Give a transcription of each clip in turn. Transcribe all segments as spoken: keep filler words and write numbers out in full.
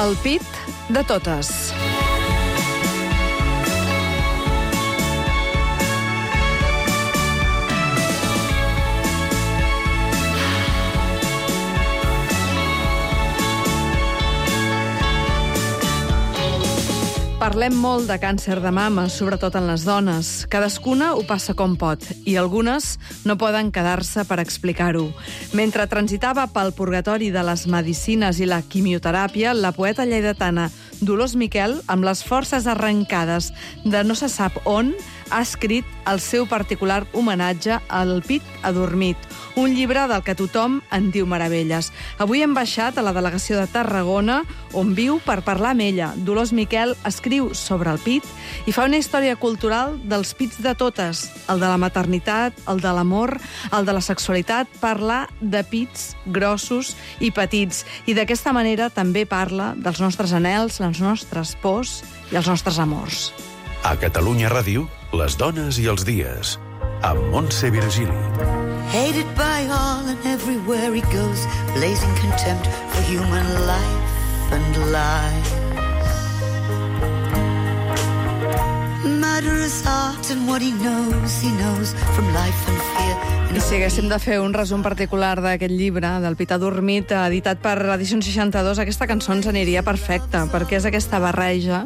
El pit de totes. Parlem molt de càncer de mama, sobretot en les dones. Cadascuna ho passa com pot, i algunes no poden quedar-se per explicar-ho. Mentre transitava pel purgatori de les medicines i la quimioteràpia, la poeta lleidatana Dolors Miquel, amb les forces arrencades de no se sap on, ha escrit el seu particular homenatge al pit adormit, un llibre del que tothom en diu meravelles. Avui hem baixat a la delegació de Tarragona, on viu, per parlar amb ella. Dolors Miquel escriu sobre el pit i fa una història cultural dels pits de totes, el de la maternitat, el de l'amor, el de la sexualitat, parla de pits grossos i petits, i d'aquesta manera també parla dels nostres anhels, les nostres pors i els nostres amors. A Catalunya Ràdio, les dones i els dies, amb Montse Virgili. Hated by all and everywhere he goes, blazing contempt for human life and lies. Murderous art and what he knows, he knows from life and fear. I si haguéssim de fer un resum particular d'aquest llibre, del pit adormit, editat per Edicions seixanta-dos, aquesta cançó ens aniria perfecta, perquè és aquesta barreja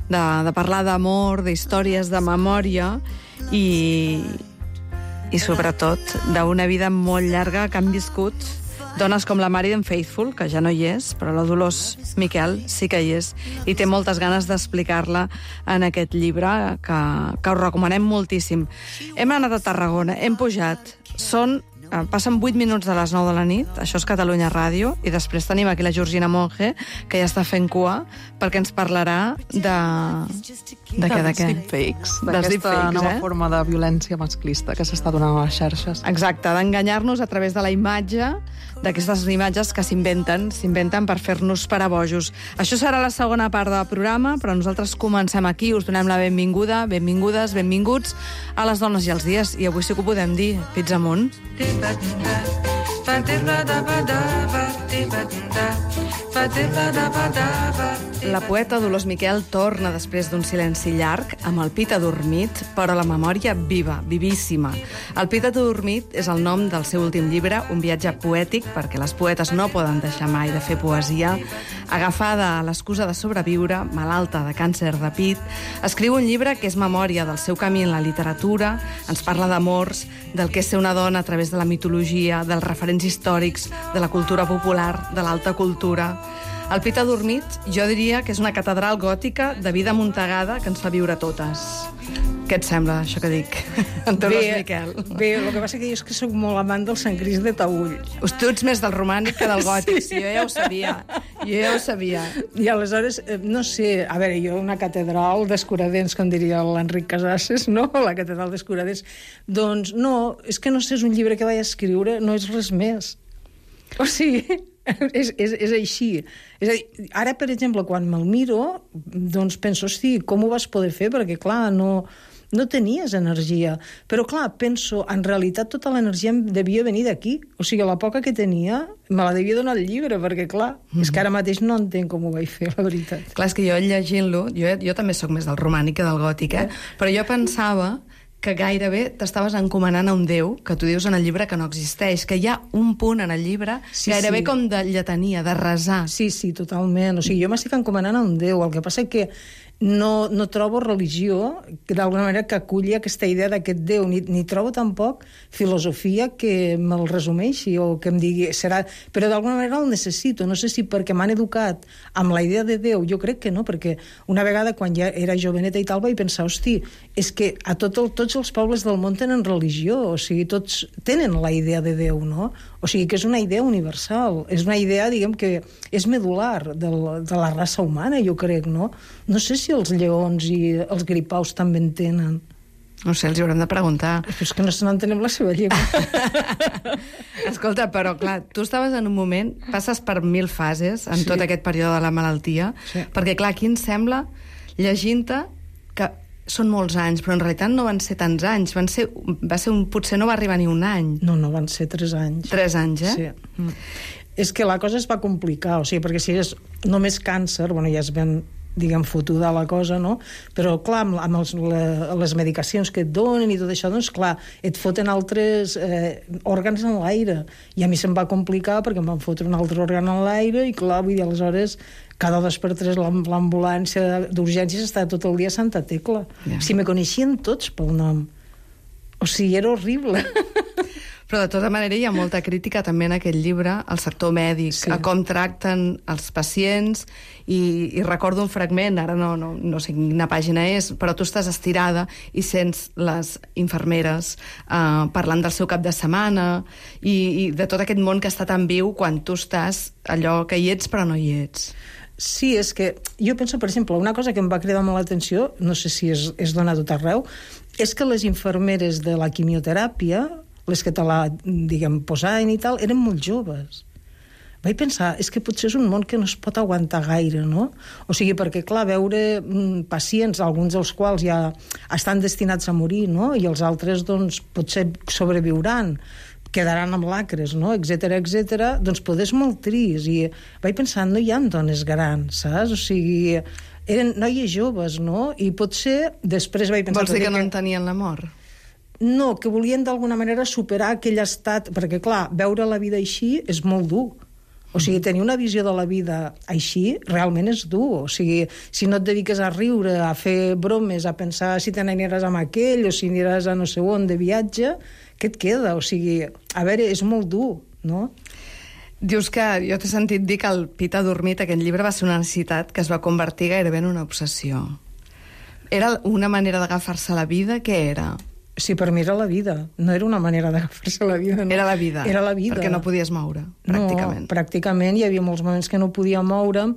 de, de parlar d'amor, d'històries de memòria i, i sobretot d'una vida molt llarga que han viscut dones com la Marian Faithfull, que ja no hi és, però la Dolors Miquel sí que hi és, i té moltes ganes d'explicar-la en aquest llibre, que, que us recomanem moltíssim. Hem anat a Tarragona, hem pujat, són... Passen vuit minuts de les nou de la nit, això és Catalunya Ràdio, i després tenim aquí la Georgina Monge, que ja està fent cua, perquè ens parlarà de... De què, de què? Deepfakes, Dels d'aquesta deepfakes, nova eh? forma de violència masclista que s'està donant a les xarxes. Exacte, d'enganyar-nos a través de la imatge, d'aquestes imatges que s'inventen, s'inventen per fer-nos parabojos. Això serà la segona part del programa, però nosaltres comencem aquí, us donem la benvinguda, benvingudes, benvinguts a les dones i els dies, i avui sí que ho podem dir, pits amunt. La poeta Dolors Miquel torna després d'un silenci llarg amb el pit adormit, però la memòria viva, vivíssima. El pit adormit és el nom del seu últim llibre, un viatge poètic, perquè les poetes no poden deixar mai de fer poesia. Agafada a l'excusa de sobreviure, malalta de càncer de pit, escriu un llibre que és memòria del seu camí en la literatura, ens parla d'amors, del que és ser una dona a través de la mitologia, dels referents històrics, de la cultura popular, de l'alta cultura. El pit adormit, jo diria que és una catedral gòtica de vida amuntegada que ens fa viure totes. Què et sembla, això que dic? En Dolors Miquel. Bé, el que passa que jo és que soc molt amant del Sant Crist de Taüll. Tu ets més del romànic que del gòtic, sí, jo ja ho sabia. Jo ja ho sabia. I aleshores, no sé, a veure, jo una catedral d'escuradents, com diria l'Enric Casases, no? La catedral d'escuradents. Doncs no, és que no sé, és un llibre que vaig escriure, no és res més. O sigui... És, és, és així. És a dir, ara, per exemple, quan me'l miro, doncs penso, hosti, com ho vas poder fer? Perquè, clar, no, no tenies energia. Però, clar, penso, en realitat tota l'energia em devia venir d'aquí. O sigui, la poca que tenia me la devia donar el llibre, perquè, clar, mm. és que ara mateix no entenc com ho vaig fer, la veritat. Clar, és que jo llegint-lo, jo, jo també sóc més del romànic que del gòtic, eh? eh? Però jo pensava que gairebé t'estaves encomanant a un déu, que tu dius en el llibre que no existeix, que hi ha un punt en el llibre sí, gairebé sí. com de lletania, de resar. Sí, sí, totalment. O sigui, jo m'estic encomanant a un déu. El que passa és que no, no trobo religió que d'alguna manera que aculli aquesta idea d'aquest Déu, ni, ni trobo tampoc filosofia que me'l resumeixi o que em digui, serà... Però d'alguna manera el necessito, no sé si perquè m'han educat amb la idea de Déu, jo crec que no, perquè una vegada quan ja era joveneta i tal vaig pensar, hosti, és que a tot el, tots els pobles del món tenen religió, o sigui, tots tenen la idea de Déu, no? O sigui, que és una idea universal, és una idea, diguem, que és medular del, de la raça humana, jo crec, no? No sé si els lleons i els gripaus també en tenen. No sé, els hi haurem de preguntar. Però és que no se n'entenem la seva llengua. Escolta, però clar, tu estaves en un moment, passes per mil fases en sí. tot aquest període de la malaltia, sí. perquè clar, aquí ens sembla, llegint-te, que són molts anys, però en realitat no van ser tants anys, van ser, va ser un, potser no va arribar ni un any. No, no, van ser tres anys. Tres anys, eh? Sí. Mm. és que la cosa es va complicar, o sigui, perquè si és només càncer, bueno, ja es ven diguem, fotuda la cosa, no? Però, clar, amb, amb els, la, les medicacions que et donen i tot això, doncs, clar, et foten altres eh, òrgans en l'aire. I a mi se'm va complicar perquè em van fotre un altre òrgan en l'aire i, clar, vull dir, aleshores, cada dos per tres l'ambulància d'urgències estava tot el dia a Santa Tecla. Yeah. Si me coneixien tots pel nom. O sigui, era horrible. Però, de tota manera, hi ha molta crítica també en aquest llibre al sector mèdic, sí. a com tracten els pacients, i, i recordo un fragment, ara no, no, no sé quina pàgina és, però tu estàs estirada i sents les infermeres eh, parlant del seu cap de setmana i, i de tot aquest món que està tan viu quan tu estàs allò que hi ets però no hi ets. Sí, és que jo penso, per exemple, una cosa que em va cridar molt l'atenció, no sé si és, és dona a tot arreu, és que les infermeres de la quimioteràpia, les que te la, diguem, posaven i tal, eren molt joves. Vaig pensar, és que potser és un món que no es pot aguantar gaire, no? O sigui, perquè, clar, veure mm, pacients, alguns dels quals ja estan destinats a morir, no? I els altres, doncs, potser sobreviuran, quedaran amb lacres, no? Etcètera, etcètera, doncs poder és molt trist. I vaig pensar, no hi ha dones grans, saps? O sigui, eren noies joves, no? I potser després vaig pensar... Vols dir que no entenien la mort? No, que volien d'alguna manera superar aquell estat, perquè, clar, veure la vida així és molt dur. O sigui, tenir una visió de la vida així realment és dur. O sigui, si no et dediques a riure, a fer bromes, a pensar si te n'aniràs amb aquell o si aniràs a no sé on de viatge, què et queda? O sigui, a veure, és molt dur, no? Dius que, jo t'he sentit dir que el Pit ha dormit, aquest llibre va ser una necessitat que es va convertir gairebé en una obsessió. Era una manera d'agafar-se a la vida? Què era? Sí, per mi era la vida. No era una manera d'agafar-se la vida. No. Era la vida. Era la vida. Perquè no podies moure, pràcticament. No, pràcticament. Hi havia molts moments que no podia moure'm.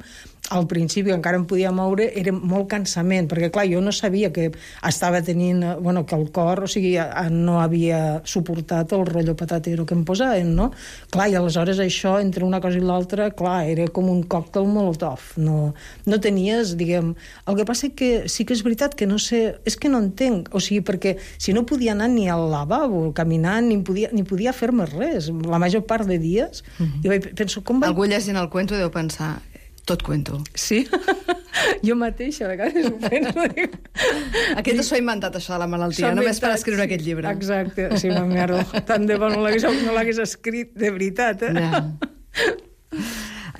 Al principi encara em podia moure, era molt cansament, perquè, clar, jo no sabia que estava tenint... Bueno, que el cor, o sigui, no havia suportat el rotllo patatero que em posaven, no? Clar, i aleshores això, entre una cosa i l'altra, clar, era com un còctel molotov. No, no tenies, diguem... El que passa que sí que és veritat que no sé... És que no entenc, o sigui, perquè si no podia anar ni al lavabo, caminant, ni podia, ni podia fer-me res, la major part de dies, mm-hmm. jo vaig, penso, com vaig... Algú llegint el cuento deu pensar... Tot cuento. Sí? Jo mateixa, a vegades ho penso. Aquest s'ho ha inventat, això de la malaltia, només per escriure aquest llibre. Exacte, sí, ma merda. Tant de bo no l'hagués no escrit de veritat, eh? Ja.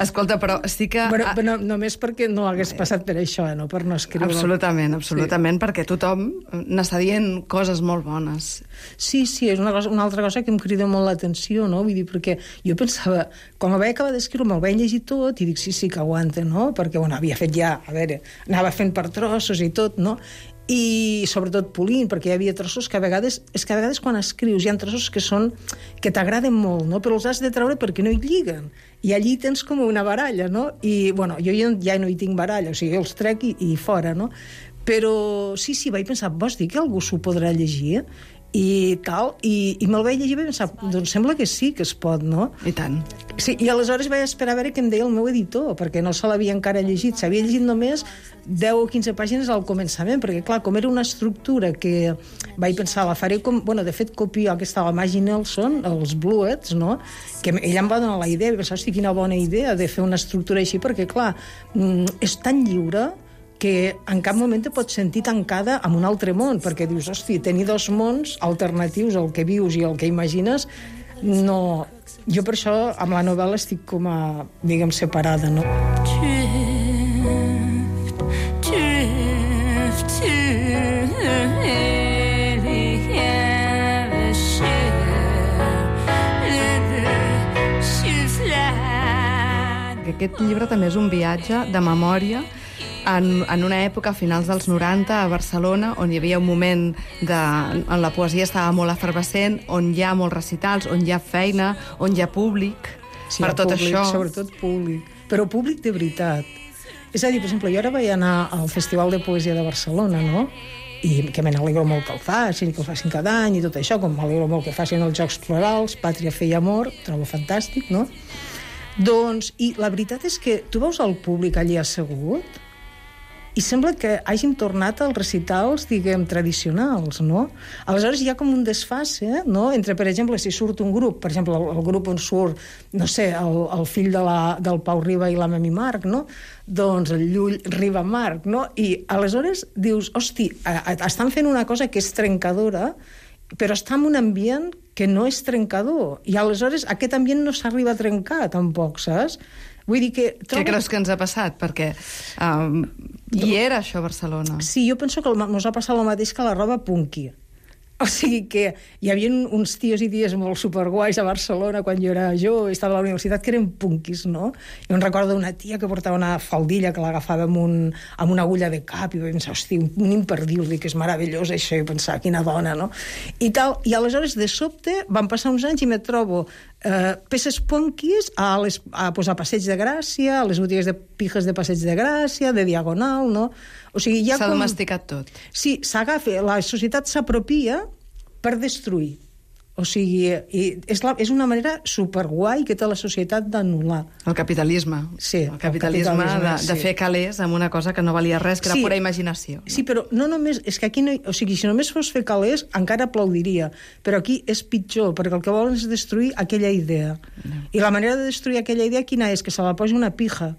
Escolta, però sí que... Però, però només perquè no hagués passat per això, eh? No per no escriure. Absolutament, absolutament, sí. Perquè tothom n'està dient coses molt bones. Sí, sí, és una, cosa, una altra cosa que em crida molt l'atenció, no? Vull dir, perquè jo pensava, quan el vaig acabar d'escriure, me'l vaig llegir tot i dic, sí, sí, que aguanta, no? Perquè, bueno, havia fet ja, a veure, anava fent per trossos i tot, no? I sobretot polint, perquè hi havia trossos que a vegades, és que a vegades quan escrius hi ha trossos que són, que t'agraden molt, no? Però els has de treure perquè no hi lliguen. I allí tens com una baralla, no? I, bueno, jo ja no hi tinc baralla, o sigui, els trec i, i fora, no? Però sí, sí, vaig pensar, vols dir que algú s'ho podrà llegir? I tal, i, i me'l vaig llegir i vaig pensar, doncs sembla que sí que es pot, no? I tant. Sí, i aleshores vaig esperar a veure què em deia el meu editor, perquè no se l'havia encara llegit, s'havia llegit només deu o quinze pàgines al començament, perquè clar, com era una estructura que vaig pensar, la faré com, bueno, de fet copio aquesta, la Maggie Nelson, els Bluets, no? Que ella em va donar la idea, i vaig pensar, hosti, quina bona idea de fer una estructura així, perquè clar, és tan lliure que en cap moment te pots sentir tancada en un altre món, perquè dius, hosti, tenir dos mons alternatius, el que vius i el que imagines, no... Jo per això, amb la novel·la, estic com a, diguem, separada, no? Drift, drift to aquest llibre també és un viatge de memòria en, en una època, a finals dels noranta, a Barcelona, on hi havia un moment de, on la poesia estava molt efervescent, on hi ha molts recitals, on hi ha feina, on hi ha públic, sí, per tot públic, això. Sobretot públic, però públic de veritat. És a dir, per exemple, jo ara vaig anar al Festival de Poesia de Barcelona, no?, i que me n'alegro molt que el facin, i que el facin cada any, i tot això, com m'alegro molt que facin els Jocs Florals, Pàtria, Fe i Amor, trobo fantàstic, no? Doncs, i la veritat és que tu veus el públic allí assegut i sembla que hàgim tornat als recitals, diguem, tradicionals, no? Aleshores hi ha com un desfase, no?, entre, per exemple, si surt un grup, per exemple, el, el grup on surt, no sé, el, el fill de la, del Pau Riba i la Memi Marc, no?, doncs el Llull Riba Marc, no?, i aleshores dius, hosti, estan fent una cosa que és trencadora, però està en un ambient que no és trencador, i aleshores aquest ambient no s'arriba a trencar, tampoc, saps? Vull dir que... Trobo... Què creus que ens ha passat? Perquè um, hi era això a Barcelona. Sí, jo penso que ens ha passat el mateix que la roba punky. O sigui que hi havia uns tios i ties molt superguais a Barcelona quan jo era jo, estava a la universitat, que eren punkis, no? Jo em recordo una tia que portava una faldilla que l'agafava amb, un, amb una agulla de cap i vaig pensar, hosti, un imperdible, que és meravellós això, i pensar, quina dona, no? I tal, i aleshores de sobte van passar uns anys i me trobo eh, peces punkis a, les, a, pues, a Passeig de Gràcia, a les botigues de pijes de Passeig de Gràcia, de Diagonal, no? O sigui, s'ha com... domesticat tot. Sí, s'agafa, la societat s'apropia per destruir. O sigui, i és, la, és una manera superguai que té la societat d'anul·lar. El capitalisme. Sí, el capitalisme, el capitalisme de, de sí. fer calés amb una cosa que no valia res, que era sí, pura imaginació. No? Sí, però no només... És que aquí no... O sigui, si només fos fer calés, encara aplaudiria. Però aquí és pitjor, perquè el que volen és destruir aquella idea. No. I la manera de destruir aquella idea quina és? Que se la posi una pija.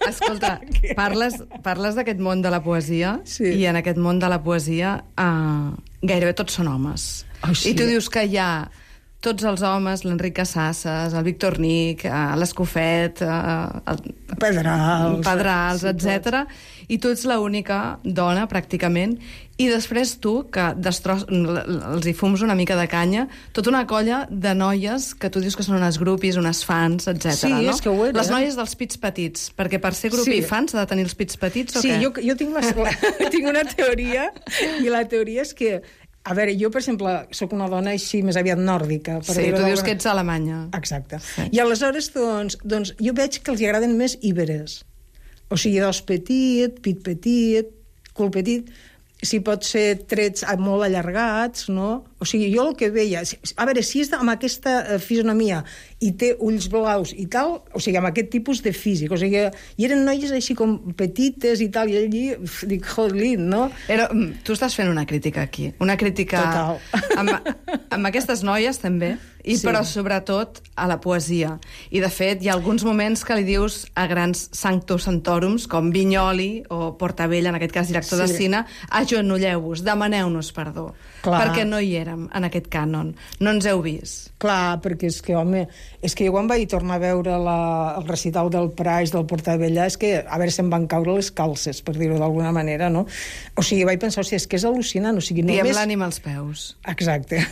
Escolta, parles, parles d'aquest món de la poesia, sí. i en aquest món de la poesia eh, gairebé tots són homes. Oh, sí. I tu dius que hi ha tots els homes, l'Enric Casasses, el Víctor Nic, eh, l'Escofet, eh, el Pedrals, Pedrals, sí, etcètera. I tu ets l'única dona, pràcticament, i després tu, que destro... els hi fums una mica de canya, tota una colla de noies que tu dius que són unes grupis, unes fans, etcètera. Sí, no? és que ho era. Les noies dels pits petits, perquè per ser grupi sí. i fans s'ha de tenir els pits petits o sí, què? Sí, jo, jo tinc, la, tinc una teoria, i la teoria és que a veure, jo, per exemple, sóc una dona així més aviat nòrdica. Per sí, tu dius que ets alemanya. Exacte. Sí. I aleshores, doncs, doncs, jo veig que els agraden més íberes. O sigui, dos petit, pit petit, cul petit, si pot ser trets molt allargats, no? O sigui, jo el que veia... A veure, si és amb aquesta fisonomia i té ulls blaus i tal, o sigui, amb aquest tipus de físic, o sigui, i eren noies així com petites i tal, i allí, dic, jodlin, no? Era, tu estàs fent una crítica aquí, una crítica... Total. Amb, amb aquestes noies, també, i sí. però sobretot a la poesia. I, de fet, hi ha alguns moments que li dius a grans sanctus santòrums, com Vinyoli o Portabella, en aquest cas director sí. de cine, agenolleu-vos, demaneu-nos perdó, clar. Perquè no hi érem en aquest cànon, no ens heu vist. Clar, perquè és que, home, és que jo quan vaig tornar a veure la, el recital del Price, del Portabella, és que, a veure, se'm van caure les calces, per dir-ho d'alguna manera, no? O sigui, vaig pensar, o sigui, és que és al·lucinant, o sigui, només... Diem l'ànima als peus. Exacte.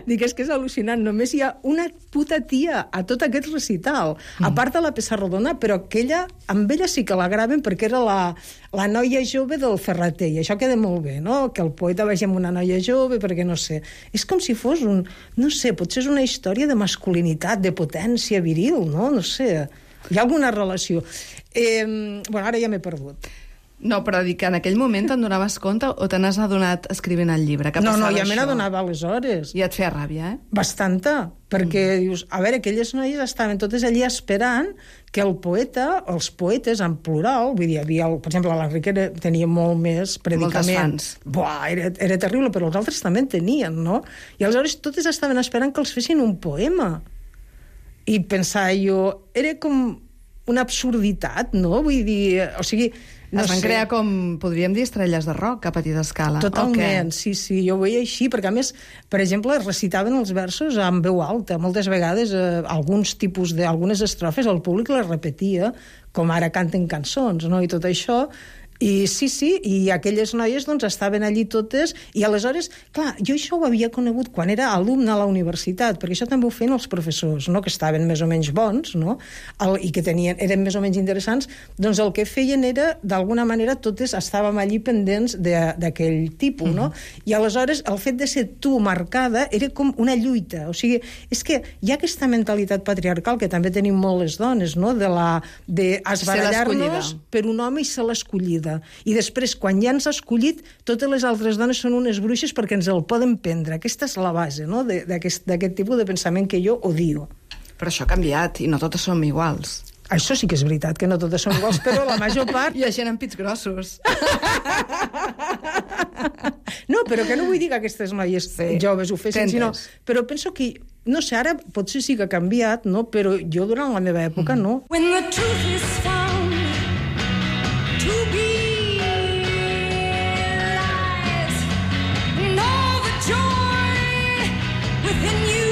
Dic, és que és al·lucinant. Només hi ha una puta tia a tot aquest recital, mm. a part de la Pessarrodona, però aquella, amb ella sí que la graven perquè era la, la noia jove del Ferrater, i això queda molt bé, no? Que el poeta vagi amb una noia jove, perquè no sé... És com si fos un... No sé, potser és una història de masculinitat, de potència viril, no? No sé. Hi ha alguna relació. Eh, bueno, ara ja m'he perdut. No, però dic que en aquell moment te'n donaves compte o te n'has adonat escrivint el llibre? Que no, no, ja això? me n'adonava aleshores. I et feia ràbia, eh? Bastanta, perquè mm. dius, a veure, aquelles noies estaven totes allí esperant que el poeta, els poetes en plural, vull dir, hi havia, el, per exemple, l'Enric tenia molt més predicament. Moltes fans. Buah, era, era terrible, però els altres també en tenien, no? I aleshores totes estaven esperant que els fessin un poema. I pensar jo, era com una absurditat, no? Vull dir, o sigui... No es van sé. crear com, podríem dir, estrelles de rock a petita escala. Totalment, sí, sí, jo ho veia així, perquè a més, per exemple, recitaven els versos amb veu alta. Moltes vegades, eh, alguns tipus de, algunes estrofes, el públic les repetia, com ara canten cançons, no?, i tot això... I sí, sí, i aquelles noies doncs estaven allí totes, i aleshores, clar, jo això ho havia conegut quan era alumne a la universitat, perquè això també ho feien els professors, no?, que estaven més o menys bons, no?, el, i que tenien, eren més o menys interessants, doncs el que feien era, d'alguna manera, totes estàvem allí pendents d'aquell tipus, no? Mm-hmm. I aleshores el fet de ser tu marcada era com una lluita, o sigui, és que hi ha aquesta mentalitat patriarcal que també tenim molt les dones, no?, de la de esbarallar-nos per un home i ser l'escollida. I després, quan ja ens ha escollit, totes les altres dones són unes bruixes perquè ens el poden prendre. Aquesta és la base, no?, d'aquest tipus de pensament que jo odio. Però això ha canviat i no totes som iguals. Això sí que és veritat, que no totes són iguals, però la major part... Hi ha gent amb pits grossos. No, però que no vull dir que aquestes noies sí. joves ho fessin, sinó... Però penso que, no sé, ara potser sí que ha canviat, no? Però jo durant la meva època mm. no. When the truth is found to be lies, and all the joy within you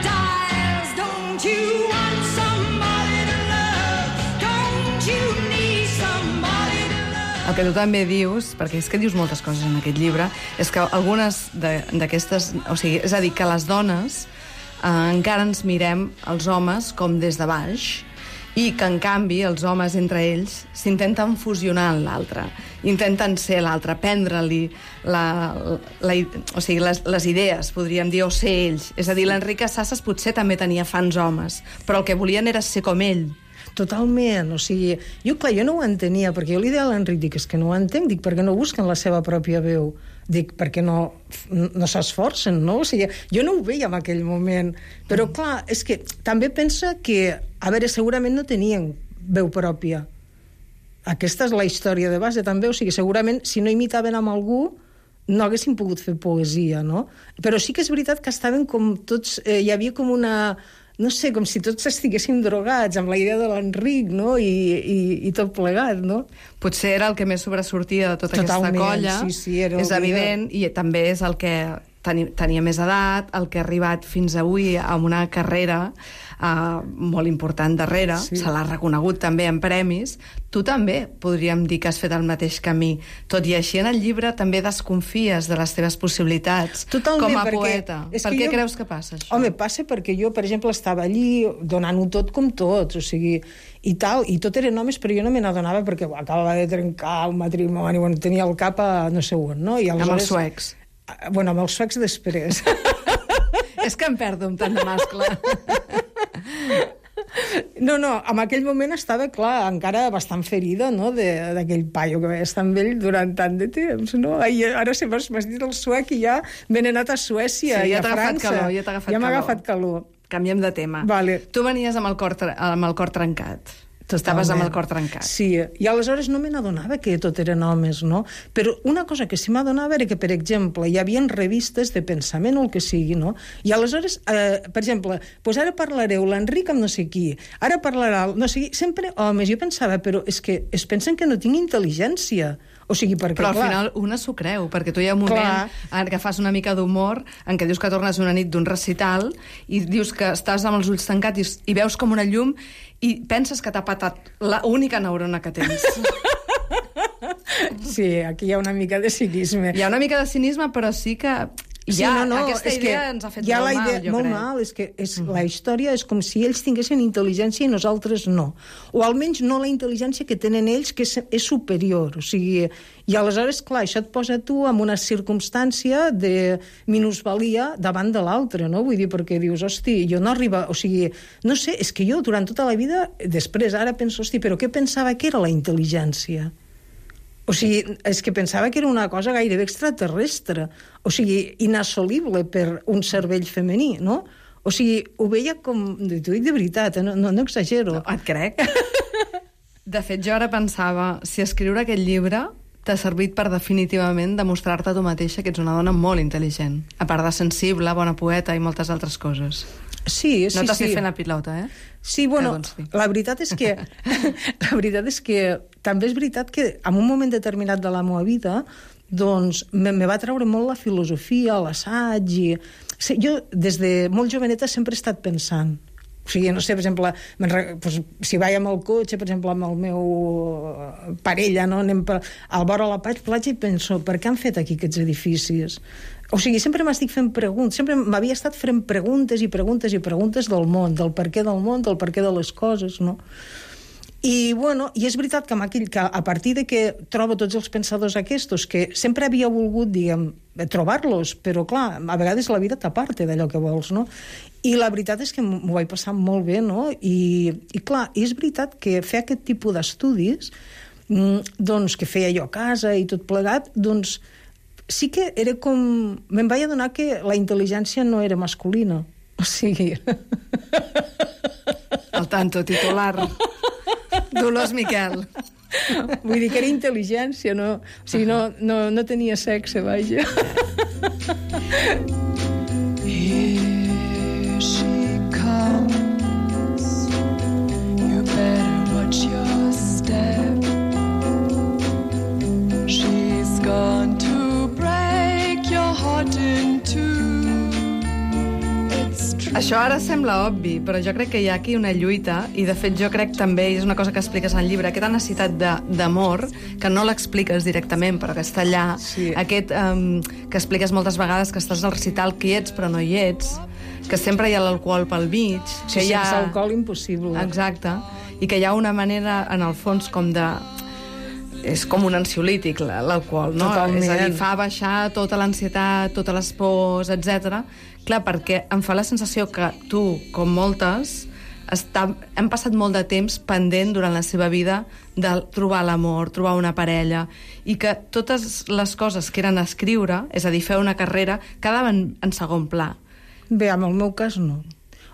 dies. Don't you want somebody to love? Don't you need somebody to love? El que tu també dius, perquè és que dius moltes coses en aquest llibre, és que algunes d'aquestes... O sigui, és a dir, que les dones eh, encara ens mirem els homes com des de baix i que, en canvi, els homes entre ells s'intenten fusionar en l'altre, intenten ser l'altre, prendre-li la, la, o sigui, les, les idees, podríem dir, o ser ells. És a dir, l'Enric Casasses potser també tenia fans homes, però el que volien era ser com ell. Totalment, o sigui, jo, clar, jo no ho entenia, perquè jo li deia a l'Enric, dic, és que no ho entenc, dic, perquè no busquen la seva pròpia veu, dic, perquè no, no s'esforcen, no? O sigui, jo no ho veia en aquell moment, però, clar, és que també pensa que, a veure, segurament no tenien veu pròpia. Aquesta és la història de base, també, o sigui, segurament, si no imitaven amb algú, no haguessin pogut fer poesia, no? Però sí que és veritat que estaven com tots... Eh, hi havia com una... no sé, com si tots estiguéssim drogats amb la idea de l'Enric, no? I, i, i tot plegat, no? Potser era el que més sobresortia de tota Totalment, aquesta colla, sí, sí, era és evident, i també és el que tenia, tenia més edat, el que ha arribat fins avui amb una carrera uh, molt important darrere, sí. Se l'ha reconegut també en premis. Tu també podríem dir que has fet el mateix camí. Tot i així, en el llibre també desconfies de les teves possibilitats. Totalment, com a perquè poeta. Per què jo... creus que passa això? Home, passa perquè jo, per exemple, estava allí donant-ho tot com tots, o sigui, i tal, i tot eren homes, però jo no me n'adonava perquè bo, acabava de trencar un matrimoni, bueno, tenia el cap a no sé on, no? I aleshores... Amb els suecs. Bueno, amb els suecs després. És que em perdo amb tant de mascle. No, no, en aquell moment estava, clar, encara bastant ferida, no?, d'aquell paio que va estar amb ell durant tant de temps, no? I ara se m'has dit el suec i ja me n'he anat a Suècia sí, i ja a França. Calor, ja t'ha agafat ja calor. m'ha agafat calor. Canviem de tema. Vale. Tu venies amb el cor, amb el cor trencat. Totalment. Estaves amb el cor trencat. Sí, i aleshores no me n'adonava que tot eren homes, no? Però una cosa que sí m'adonava era que, per exemple, hi havia revistes de pensament o el que sigui, no? I aleshores, eh, per exemple, pues ara parlareu l'Enric amb no sé qui, ara parlarà no sé qui, sempre homes. Jo pensava, però és que es pensen que no tinc intel·ligència. O sigui, perquè, però al clar, final una s'ho creu, perquè tu hi ha un moment clar. En què fas una mica d'humor, en què dius que tornes una nit d'un recital i dius que estàs amb els ulls tancats i, i veus com una llum i penses que t'ha patat l'única neurona que tens. Sí, aquí hi ha una mica de cinisme. Hi ha una mica de cinisme, però sí que... Sí, ja, no, no, aquesta és idea que ens ha fet ja molt la idea, mal, jo molt crec. mal, és que és, mm. la història és com si ells tinguessin intel·ligència i nosaltres no. O almenys no la intel·ligència que tenen ells, que és, és superior. O sigui, i aleshores, clar, això et posa tu en una circumstància de minusvalia davant de l'altre, no? Vull dir, perquè dius, hosti, jo no arriba... O sigui, no sé, és que jo durant tota la vida, després ara penso, hosti, però què pensava que era la intel·ligència? O sigui, és que pensava que era una cosa gairebé extraterrestre, o sigui, inassolible per un cervell femení, no? O sigui, ho veia com... T'ho dic de veritat, eh? no, no, no exagero. No, et crec. De fet, jo ara pensava, si escriure aquest llibre t'ha servit per definitivament demostrar-te a tu mateixa que ets una dona molt intel·ligent, a part de sensible, bona poeta i moltes altres coses. Sí, sí, no t'has sí. fet fent la pilota, eh? Sí, bueno, la veritat és que la veritat és que també és veritat que en un moment determinat de la meva vida doncs me, me va treure molt la filosofia, l'assaig i... Sí, jo des de molt joveneta sempre he estat pensant. O sigui, no sé, per exemple, pues, si vaig amb el cotxe, per exemple, amb el meu parella, no? Anem per, al vora la platja i penso, per què han fet aquí aquests edificis? O sigui, sempre m'estic fent preguntes, sempre m'havia estat fent preguntes i preguntes i preguntes del món, del per què del món, del per què de les coses, no? I, bueno, i és veritat que, amb aquell, que a partir de que trobo tots els pensadors aquests, que sempre havia volgut, diguem, trobar-los, però, clar, a vegades la vida t'aparta d'allò que vols, no? I la veritat és que m'ho vaig passar molt bé, no? I, i clar, és veritat que fer aquest tipus d'estudis, doncs, que feia jo a casa i tot plegat, doncs, sí que era com... Me'n vaig adonar que la intel·ligència no era masculina. O sigui... Al tanto, titular. Dolors Miquel. Vull dir que era intel·ligència, no? O sigui, no, no, no tenia sexe, vaja. Here she comes. You better watch your step. She's gone to break your heart in two. It's true. Això ara sembla obvi, però jo crec que hi ha aquí una lluita, i de fet jo crec també, i és una cosa que expliques en el llibre, aquesta necessitat de- d'amor, que no l'expliques directament, però que està allà, Sí. aquest um, que expliques moltes vegades, que estàs al recital que hi ets però no hi ets, que sempre hi ha l'alcohol pel mig, Sí, que hi ha... sense alcohol impossible. Exacte, i que hi ha una manera, en el fons, com de... És com un ansiolític, l- l'alcohol, no? Totalment. És a dir, fa baixar tota l'ansietat, totes les pors, etcètera. Clar, perquè em fa la sensació que tu, com moltes, està, hem passat molt de temps pendent durant la seva vida de trobar l'amor, trobar una parella, i que totes les coses que eren escriure, és a dir, fer una carrera, quedaven en segon pla. Bé, en el meu cas no.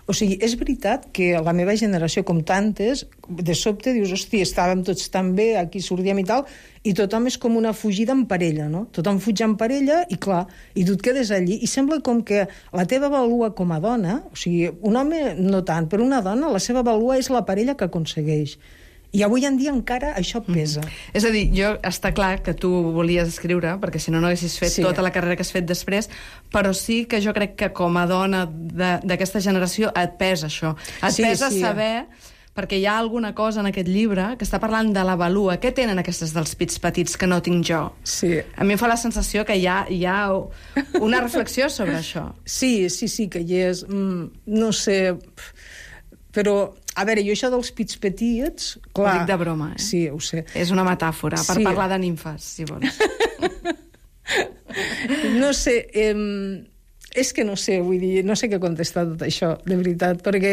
O sigui, és veritat que la meva generació, com tantes, de sobte dius, hòstia, estàvem tots tan bé, aquí sortíem i tal, i tothom és com una fugida en parella, no? Tothom fuig en parella i, clar, i tu et quedes allí, i sembla com que la teva valua com a dona, o sigui, un home no tant, però una dona, la seva valua és la parella que aconsegueix. I avui en dia encara això pesa. Mm. És a dir, jo està clar que tu volies escriure, perquè si no no haguessis fet Sí. sí. tota la carrera que has fet després, però sí que jo crec que com a dona de- d'aquesta generació et pesa això. Et Sí, pesa sí. saber, perquè hi ha alguna cosa en aquest llibre que està parlant de la valua. Què tenen aquestes dels pits petits que no tinc jo? Sí. A mi em fa la sensació que hi ha, hi ha una reflexió sobre això. Sí, sí, sí, que hi és... Mm, no sé... Però, a veure, jo això dels pits petits... Clar, Ho dic de broma, eh? Sí, ho sé. És una metàfora per Sí. parlar de nimfes, si vols. No sé, eh, és que no sé, vull dir, no sé què contestar tot això, de veritat, perquè,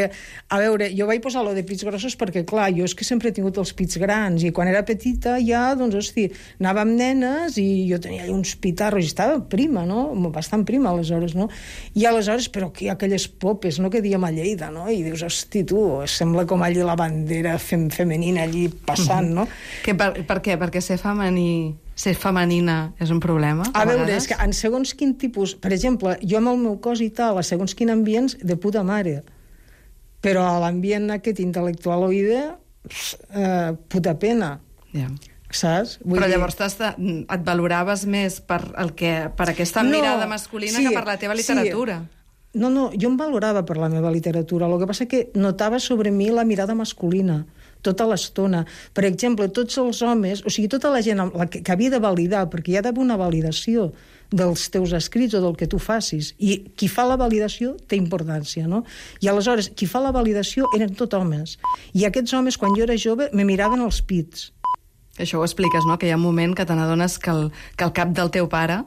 a veure, jo vaig posar lo de pits grossos perquè, clar, jo és que sempre he tingut els pits grans, i quan era petita ja, doncs, hosti, anava amb nenes i jo tenia allà uns pitarros, i estava prima, no? Bastant prima, aleshores, no? I aleshores, però que hi ha aquelles popes, no?, que diem a Lleida, no? I dius, hosti, tu, sembla com allí la bandera fem femenina allí passant, no? Que per, per què? Perquè ser femení, ser femenina és un problema? A veure, vegades? és que en segons quin tipus... Per exemple, jo amb el meu cos i tal, a segons quin ambients, de puta mare. Però a l'ambient aquest intel·lectualoide, eh, puta pena, Ja. saps? Vull Però dir- llavors t'has- et valoraves més per, el que, per aquesta No, mirada masculina sí, que per la teva literatura. Sí. No, no, jo em valorava per la meva literatura. El que passa que notava sobre mi la mirada masculina tota l'estona. Per exemple, tots els homes, o sigui, tota la gent amb la que, que havia de validar, perquè hi ha d'haver una validació dels teus escrits o del que tu facis. I qui fa la validació té importància, no? I aleshores, qui fa la validació eren tot homes. I aquests homes, quan jo era jove, me miraven els pits. Això ho expliques, no? Que hi ha un moment que te n'adones que, el, que el cap del teu pare,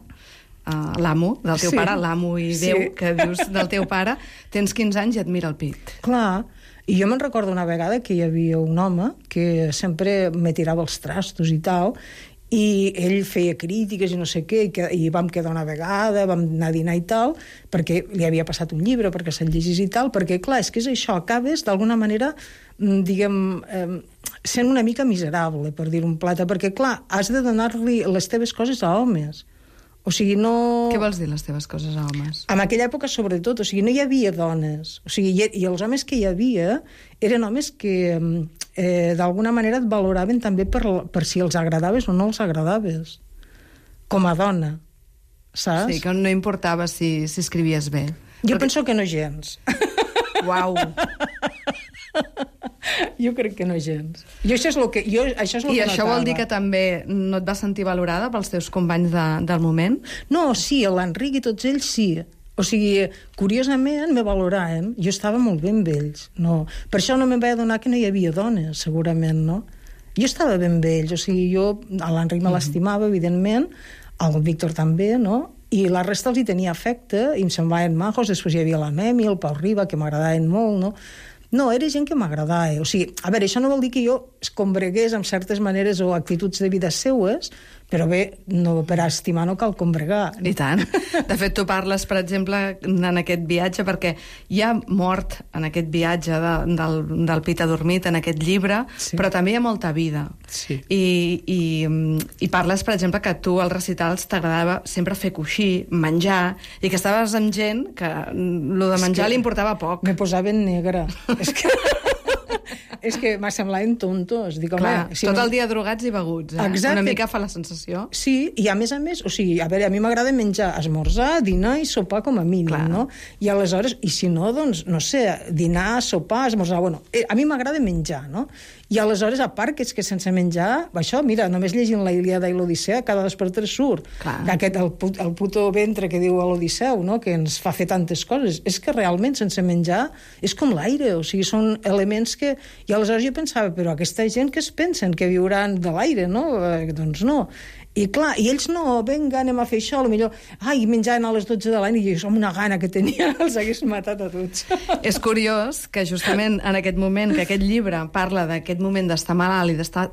uh, l'amo del teu Sí. pare, l'amo i Déu, Sí. que dius del teu pare, tens quinze anys i et mira el pit. Clar, i jo me'n recordo una vegada que hi havia un home que sempre me tirava els trastos i tal, i ell feia crítiques i no sé què, i, que, i vam quedar una vegada, vam anar a dinar i tal, perquè li havia passat un llibre perquè se'l llegís i tal, perquè clar, és que és això, acabes d'alguna manera, mm, diguem, eh, sent una mica miserable, per dir un plata, perquè clar, has de donar-li les teves coses a homes. O sigui, no... Què vols dir, les teves coses a homes? En aquella època, sobretot, o sigui, no hi havia dones. O sigui, i, i els homes que hi havia eren homes que eh, d'alguna manera et valoraven també per, per si els agradaves o no els agradaves. Com a dona, saps? Sí, que no importava si, si escrivies bé. Jo penso que no gens. Uau! Jo crec que no gens. Jo això és el que, jo, això és el I que això notava. vol dir que també no et vas sentir valorada pels teus companys de, del moment? No, sí, l'Enric i tots ells sí. O sigui, curiosament me valoraven. Jo estava molt bé amb ells. No. Per això no me'n vaig adonar que no hi havia dones, segurament, no? Jo estava ben amb ells. O sigui, jo, a l'Enric me l'estimava, evidentment, al Víctor també, no? I la resta els hi tenia afecte, i em semblaven majos. Després hi havia la Memi, el Pau Riba, que m'agradaven molt, no? No, era gent que m'agradava. O sigui, a veure, això no vol dir que jo es combregués amb certes maneres o actituds de vida seues, Però bé, no, per estimar no cal combregar. I tant. De fet, tu parles, per exemple, en aquest viatge, perquè hi ha mort en aquest viatge de, del, del Pit adormit, en aquest llibre, Sí. però també hi ha molta vida. Sí. I, i, I parles, per exemple, que tu als recitals t'agradava sempre fer coixí, menjar, i que estaves amb gent que lo de menjar que li importava poc. Me posava en negre. És que... és que m'ha semblaven tontos. Dic, home, Clar, si tot no- el dia drogats i beguts, eh? Exacte. Una mica fa la sensació. Sí, i a més a més, o sigui, a veure, a mi m'agrada menjar, esmorzar, dinar i sopar com a mínim, Clar. no? I aleshores, i si no, doncs, no sé, dinar, sopar, esmorzar, bueno, eh, a mi m'agrada menjar, no? I aleshores, a part, que és que sense menjar, això, mira, només llegint la Ilíada i l'Odissea, cada dos per tres surt. Clar. Aquest, el, put- el puto ventre que diu a l'Odisseu, no?, que ens fa fer tantes coses. És que realment, sense menjar, és com l'aire, o sigui, són elements que... I aleshores jo pensava, però aquesta gent que es pensen que viuran de l'aire, no? Eh, doncs no. I clar, i ells no, vinga, anem a fer això, potser, ai, menjaven a les dotze de la nit, i jo, amb una gana que tenia, els hagués matat a tots. És curiós que justament en aquest moment, que aquest llibre parla d'aquest moment d'estar malalt i d'estar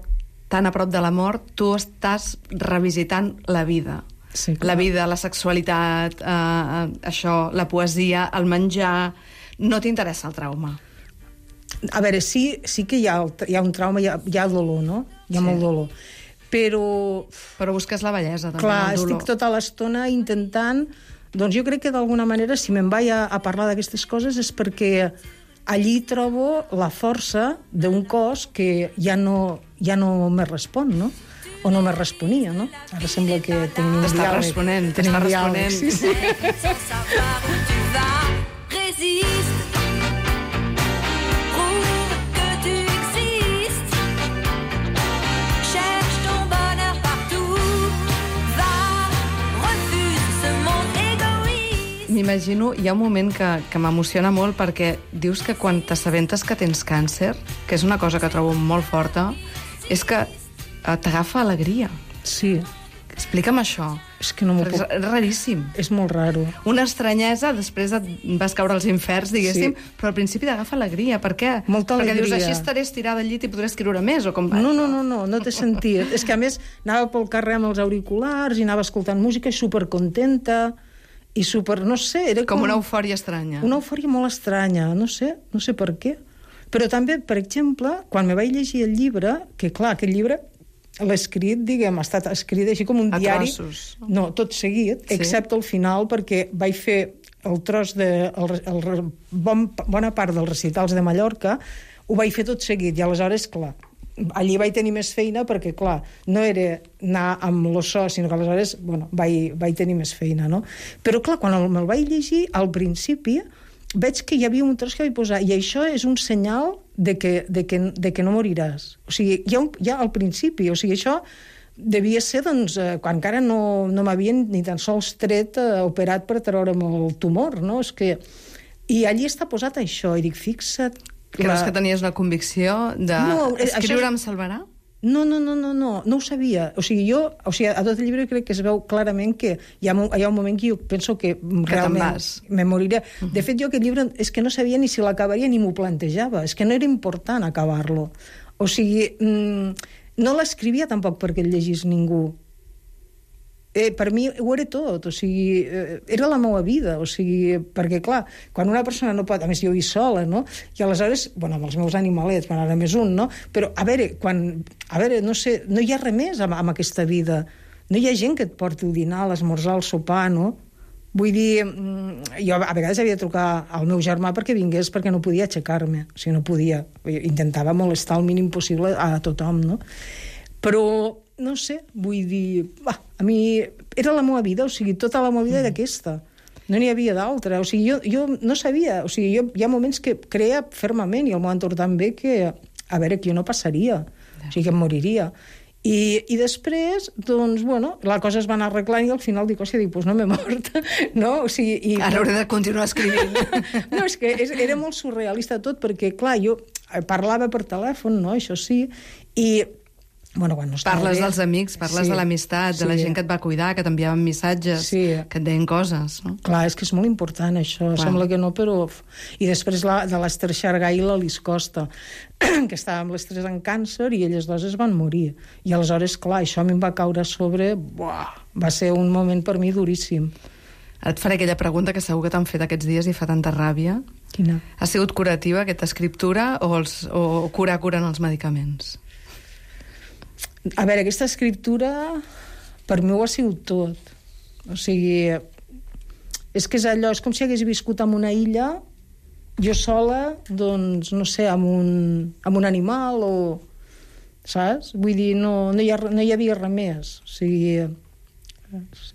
tan a prop de la mort, tu estàs revisitant la vida. Sí, clar. La vida, la sexualitat, eh, això, la poesia, el menjar... No t'interessa el trauma. A veure, sí, sí que hi ha, el, hi ha un trauma, hi ha, hi ha dolor, no? Hi ha Sí. molt dolor. Però, Però busques la bellesa, també, clar, el dolor. estic tota l'estona intentant... Doncs jo crec que d'alguna manera, si me'n vaig a, a parlar d'aquestes coses, és perquè allí trobo la força d'un cos que ja no, ja no me respon, no? O no me responia, no? Ara sembla que tenim un T'està diàleg. responent, tenim t'està diàleg, responent. Sí, sí. Sans savoir où tu vas, résiste. Prouve que tu existes. Cherche ton bonheur partout. Va, refuse ce monde égoïste. M'imagino, hi ha un moment que, que m'emociona molt perquè dius que quan t'assabentes que tens càncer, que és una cosa que trobo molt forta, és que eh, t'agafa alegria. Sí, Explica'm això. és que no m'ho Perquè puc... és raríssim. És molt raro. Una estranyesa, després et vas caure als inferns, diguéssim, Sí. però al principi t'agafa alegria. Per què? Molta Perquè dius, alegria. així estaré estirada al llit i podré escriure més, o com va? No, no, no, no, no té sentit. És que, a més, anava pel carrer amb els auriculars i anava escoltant música i supercontenta i super... no sé, era com... Com una eufòria estranya. Una eufòria molt estranya, no sé, no sé per què. Però també, per exemple, quan me vaig llegir el llibre, que clar, aquest llibre l'he escrit, diguem, ha estat escrit així com un A diari... trossos. No, tot seguit, Sí. excepte el final, perquè vaig fer el tros de... El, el, el, bon, bona part dels recitals de Mallorca, ho vaig fer tot seguit, i aleshores, clar, allí vaig tenir més feina perquè, clar, no era anar amb l'osso, sinó que aleshores, bueno, vaig, vaig tenir més feina, no? Però, clar, quan el, me'l vaig llegir, al principi, veig que hi havia un tros que vaig posar, i això és un senyal de que, de que, de que no moriràs. O sigui, ja, ja al principi, o sigui, això devia ser, doncs, eh, quan encara no, no m'havien ni tan sols tret, eh, operat per treure'm el tumor, no? És que... I allí està posat això, i dic, fixa't... Creus que tenies la convicció de No, eh, escriure això- em salvarà? No, no, no, no, no, no ho sabia. O sigui, jo, o sigui, a tot el llibre crec que es veu clarament que hi ha, mo- hi ha un moment que jo penso que, realment vas. me moriré. De fet, jo aquest llibre és que no sabia ni si l'acabaria ni m'ho plantejava. És que no era important acabar-lo. O sigui, mmm, no l'escrivia tampoc perquè el llegís ningú. Eh, per mi ho era tot, o sigui, eh, era la meva vida, o sigui, perquè, clar, quan una persona no pot... A més, jo hi sola, no? I aleshores, bueno, amb els meus animalets, bueno, ara més un, no? Però, a veure, quan... A veure, no sé, no hi ha res més amb, amb aquesta vida. No hi ha gent que et porti el dinar, l'esmorzar, el sopar, no? Vull dir, mm, jo a vegades havia de trucar al meu germà perquè vingués, perquè no podia aixecar-me, o sigui, no podia. Intentava molestar el mínim possible a tothom, no? Però, no sé, vull dir... Va, a mi era la meva vida, o sigui, tota la meva vida era aquesta. No n'hi havia d'altra. O sigui, jo, jo no sabia... O sigui, jo, hi ha moments que creia fermament, i el meu entorn també, que, a veure, que jo no passaria. O sigui, que em moriria. I, i després, doncs, bueno, la cosa es va anar arreglant i al final dic, hòstia, dic, doncs no m'he mort, no? O sigui, i... Ara hauré de continuar escrivint. No, és que és, era molt surrealista tot, perquè, clar, jo parlava per telèfon, no?, això sí, i Bueno, quan no estava Parles bé. dels amics, parles Sí, de l'amistat, de la sí. gent que et va cuidar, que t'enviaven missatges, Sí. que et deien coses, no? Clar, és que és molt important això, Clar. sembla que no, però... I després la, de l'Ester Xargay i l'Alice Costa, que estava amb les tres en càncer i elles dues es van morir. I aleshores, clar, això a mi em va caure a sobre... Buah, va ser un moment per mi duríssim. Ara et faré aquella pregunta que segur que t'han fet aquests dies i fa tanta ràbia. Quina? Ha sigut curativa aquesta escriptura o, els, o curar curen els medicaments? A veure, aquesta escriptura per mi ho ha sigut tot. O sigui, és que és allò, és com si hagués viscut en una illa, jo sola, doncs, no sé, amb un, amb un animal o... Saps? Vull dir, no, no, hi, ha, no hi havia res més. O sigui,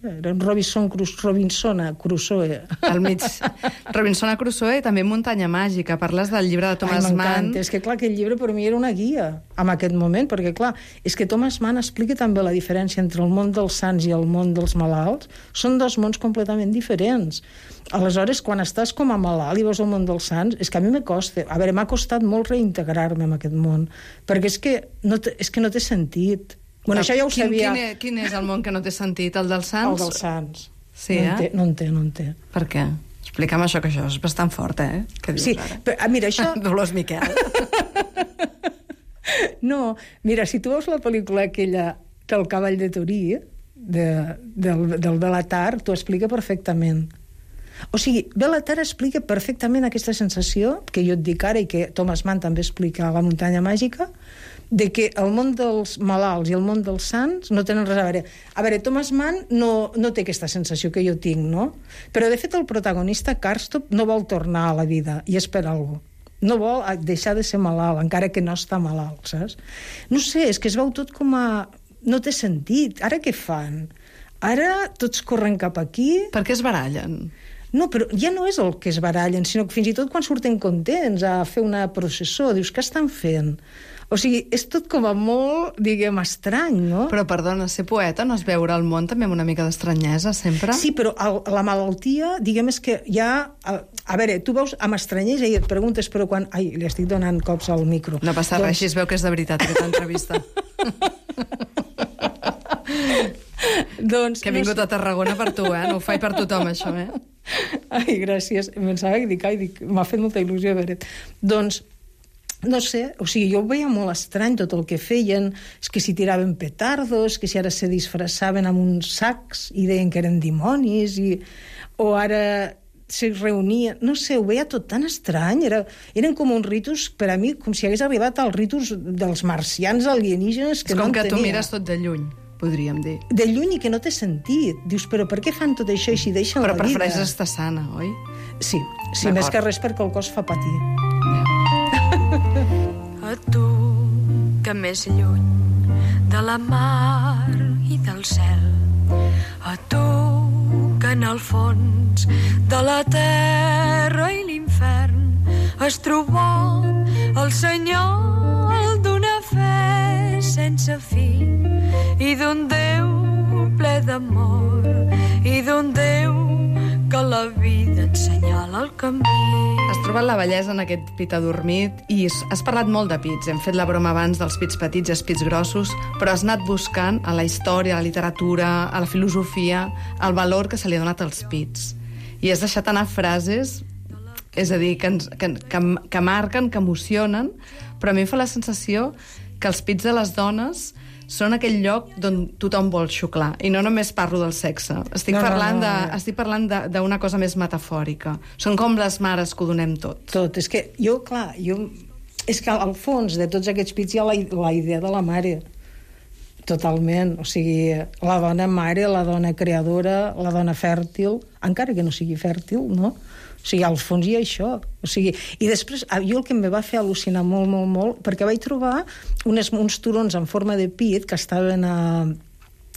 era un Robinson, Robinson Crusoe. Al mig. Robinson Crusoe i també Muntanya Màgica. Parles del llibre de Thomas Ai, Mann. m'encanta. És que, clar, aquest llibre per mi era una guia en aquest moment, perquè, clar, és que Thomas Mann explica també la diferència entre el món dels sants i el món dels malalts. Són dos mons completament diferents. Aleshores, quan estàs com a malalt i veus el món dels sants, és que a mi me costa. A veure, m'ha costat molt reintegrar-me en aquest món, perquè és que no té, és que no té sentit. Bueno, això ja ho quin, sabia. Quin, és, quin és el món que no té sentit? El dels sants? El dels sants. Sí, no eh? En té, no en té, no en té. Per què? Explica'm això, que això és bastant fort, eh? Què dius Sí, ara? però, ah, mira, això... Dolors Miquel. No, mira, si tu veus la pel·lícula aquella del Cavall de Torí, de, del, del Belatar, t'ho explica perfectament. O sigui, Belatar explica perfectament aquesta sensació que jo et dic ara i que Thomas Mann també explica a La Muntanya Màgica, de que el món dels malalts i el món dels sants no tenen res a veure. A veure, Thomas Mann no, no té aquesta sensació que jo tinc, no? Però, de fet, el protagonista, Karstop, no vol tornar a la vida i és per alguna cosa. No vol deixar de ser malalt, encara que no està malalt, saps? No sé, és que es veu tot com a... No té sentit. Ara què fan? Ara tots corren cap aquí... Per què es barallen? No, però ja no és el que es barallen, sinó que fins i tot quan surten contents a fer una processó, dius, què estan fent? O sigui, és tot com a molt, diguem, estrany, no? Però, perdona, ser poeta no és veure el món també amb una mica d'estranyesa, sempre? Sí, però el, la malaltia, diguem, és que ja... A, a veure, tu veus amb estranyesa i et preguntes, però quan... Ai, li estic donant cops al micro. No passa doncs... res, així es veu que és de veritat aquesta entrevista. doncs, que he vingut no... a Tarragona per tu, eh? No ho faig per tothom, això, eh? Ai, gràcies. Em pensava que dic, ai, dic, m'ha fet molta il·lusió veure. Doncs, no sé, o sigui, jo ho veia molt estrany tot el que feien, és que si tiraven petardos, que si ara se disfressaven amb uns sacs i deien que eren dimonis, i... o ara se reunien, no sé, ho veia tot tan estrany, era, eren com uns ritus, per a mi, com si hagués arribat als ritus dels marcians alienígenes que és no com en que tu tenia. mires tot de lluny, podríem dir. De lluny i que no té sentit. Dius, però per què fan tot això i si deixen Però la vida? prefereix estar sana, oi? Sí, sí, D'acord. més que res perquè el cos fa patir. A tu, que més lluny de la mar i del cel, a tu, que en el fons de la terra i l'infern es trobà el senyal d'una fe sense fi i d'un Déu ple d'amor i d'un Déu que la vida ensenyala el camí. Has trobat la bellesa en aquest pit adormit i has parlat molt de pits. Hem fet la broma abans dels pits petits i els pits grossos, però has anat buscant a la història, a la literatura, a la filosofia, el valor que se li ha donat als pits. I has deixat anar frases, és a dir, que, ens, que, que, que marquen, que emocionen, però a mi em fa la sensació que els pits de les dones són aquell lloc d'on tothom vol xuclar. I no només parlo del sexe. Estic No, no, parlant no, de, no. estic parlant de- d'una cosa més metafòrica. Són com les mares que ho donem tot. Tot, és que jo, clar, jo... És que al fons de tots aquests pits hi ha la, la idea de la mare. Totalment. O sigui, la dona mare, la dona creadora, la dona fèrtil, encara que no sigui fèrtil, no? O sigui, al fons hi ha això. O sigui, i després, jo el que em va fer al·lucinar molt, molt, molt, perquè vaig trobar unes, uns turons en forma de pit que estaven a,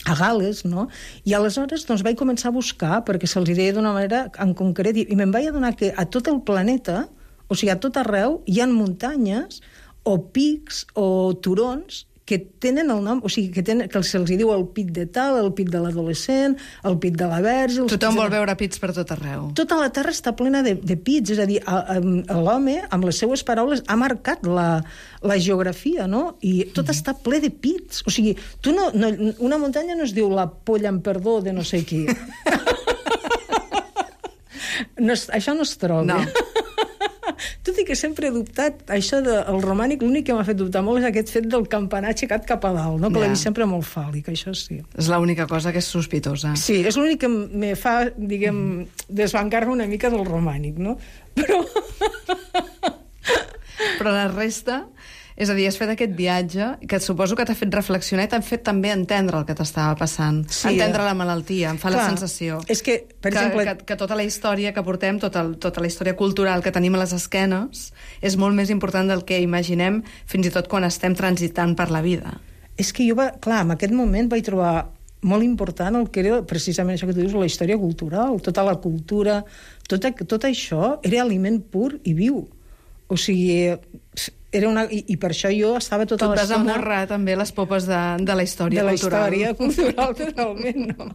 a Gal·les, no? I aleshores doncs, vaig començar a buscar, perquè se'ls deia d'una manera en concret, i, i me'n vaig adonar que a tot el planeta, o sigui, a tot arreu, hi ha muntanyes o pics o turons que tenen el nom, o sigui, que, tenen, que se'ls diu el pit de tal, el pit de l'adolescent, el pit de la verge... Tothom vol veure pits per tot arreu. Tota la Terra està plena de, de pits, és a dir, l'home, amb les seues paraules, ha marcat la, la geografia, no? I tot mm. està ple de pits. O sigui, tu no, no, una muntanya no es diu la polla amb perdó de no sé qui. no, això no es troba. No. Tot i que sempre he dubtat, això del romànic, l'únic que m'ha fet dubtar molt és aquest fet del campanar aixecat cap a dalt, no? Que Ja. l'he vist sempre molt fàl·lic, això sí. És l'única cosa que és sospitosa. Sí, és l'únic que me fa, diguem, desbancar-me una mica del romànic, no? Però... Però la resta... És a dir, has fet aquest viatge que suposo que t'ha fet reflexionar i t'ha fet també entendre el que t'estava passant. Sí, entendre eh? la malaltia, em fa Clar, la sensació. és que, per que, exemple- Que, que tota la història que portem, tota, el, tota la història cultural que tenim a les esquenes és molt més important del que imaginem fins i tot quan estem transitant per la vida. És que jo, va, clar, en aquest moment vaig trobar molt important el que era precisament això que tu dius, la història cultural, tota la cultura, tot, tot això era aliment pur i viu. O sigui, era una... I, i per això jo estava tota Tu et vas l'estona... amorrar també les popes de, de la història de la cultural. història cultural, totalment, no?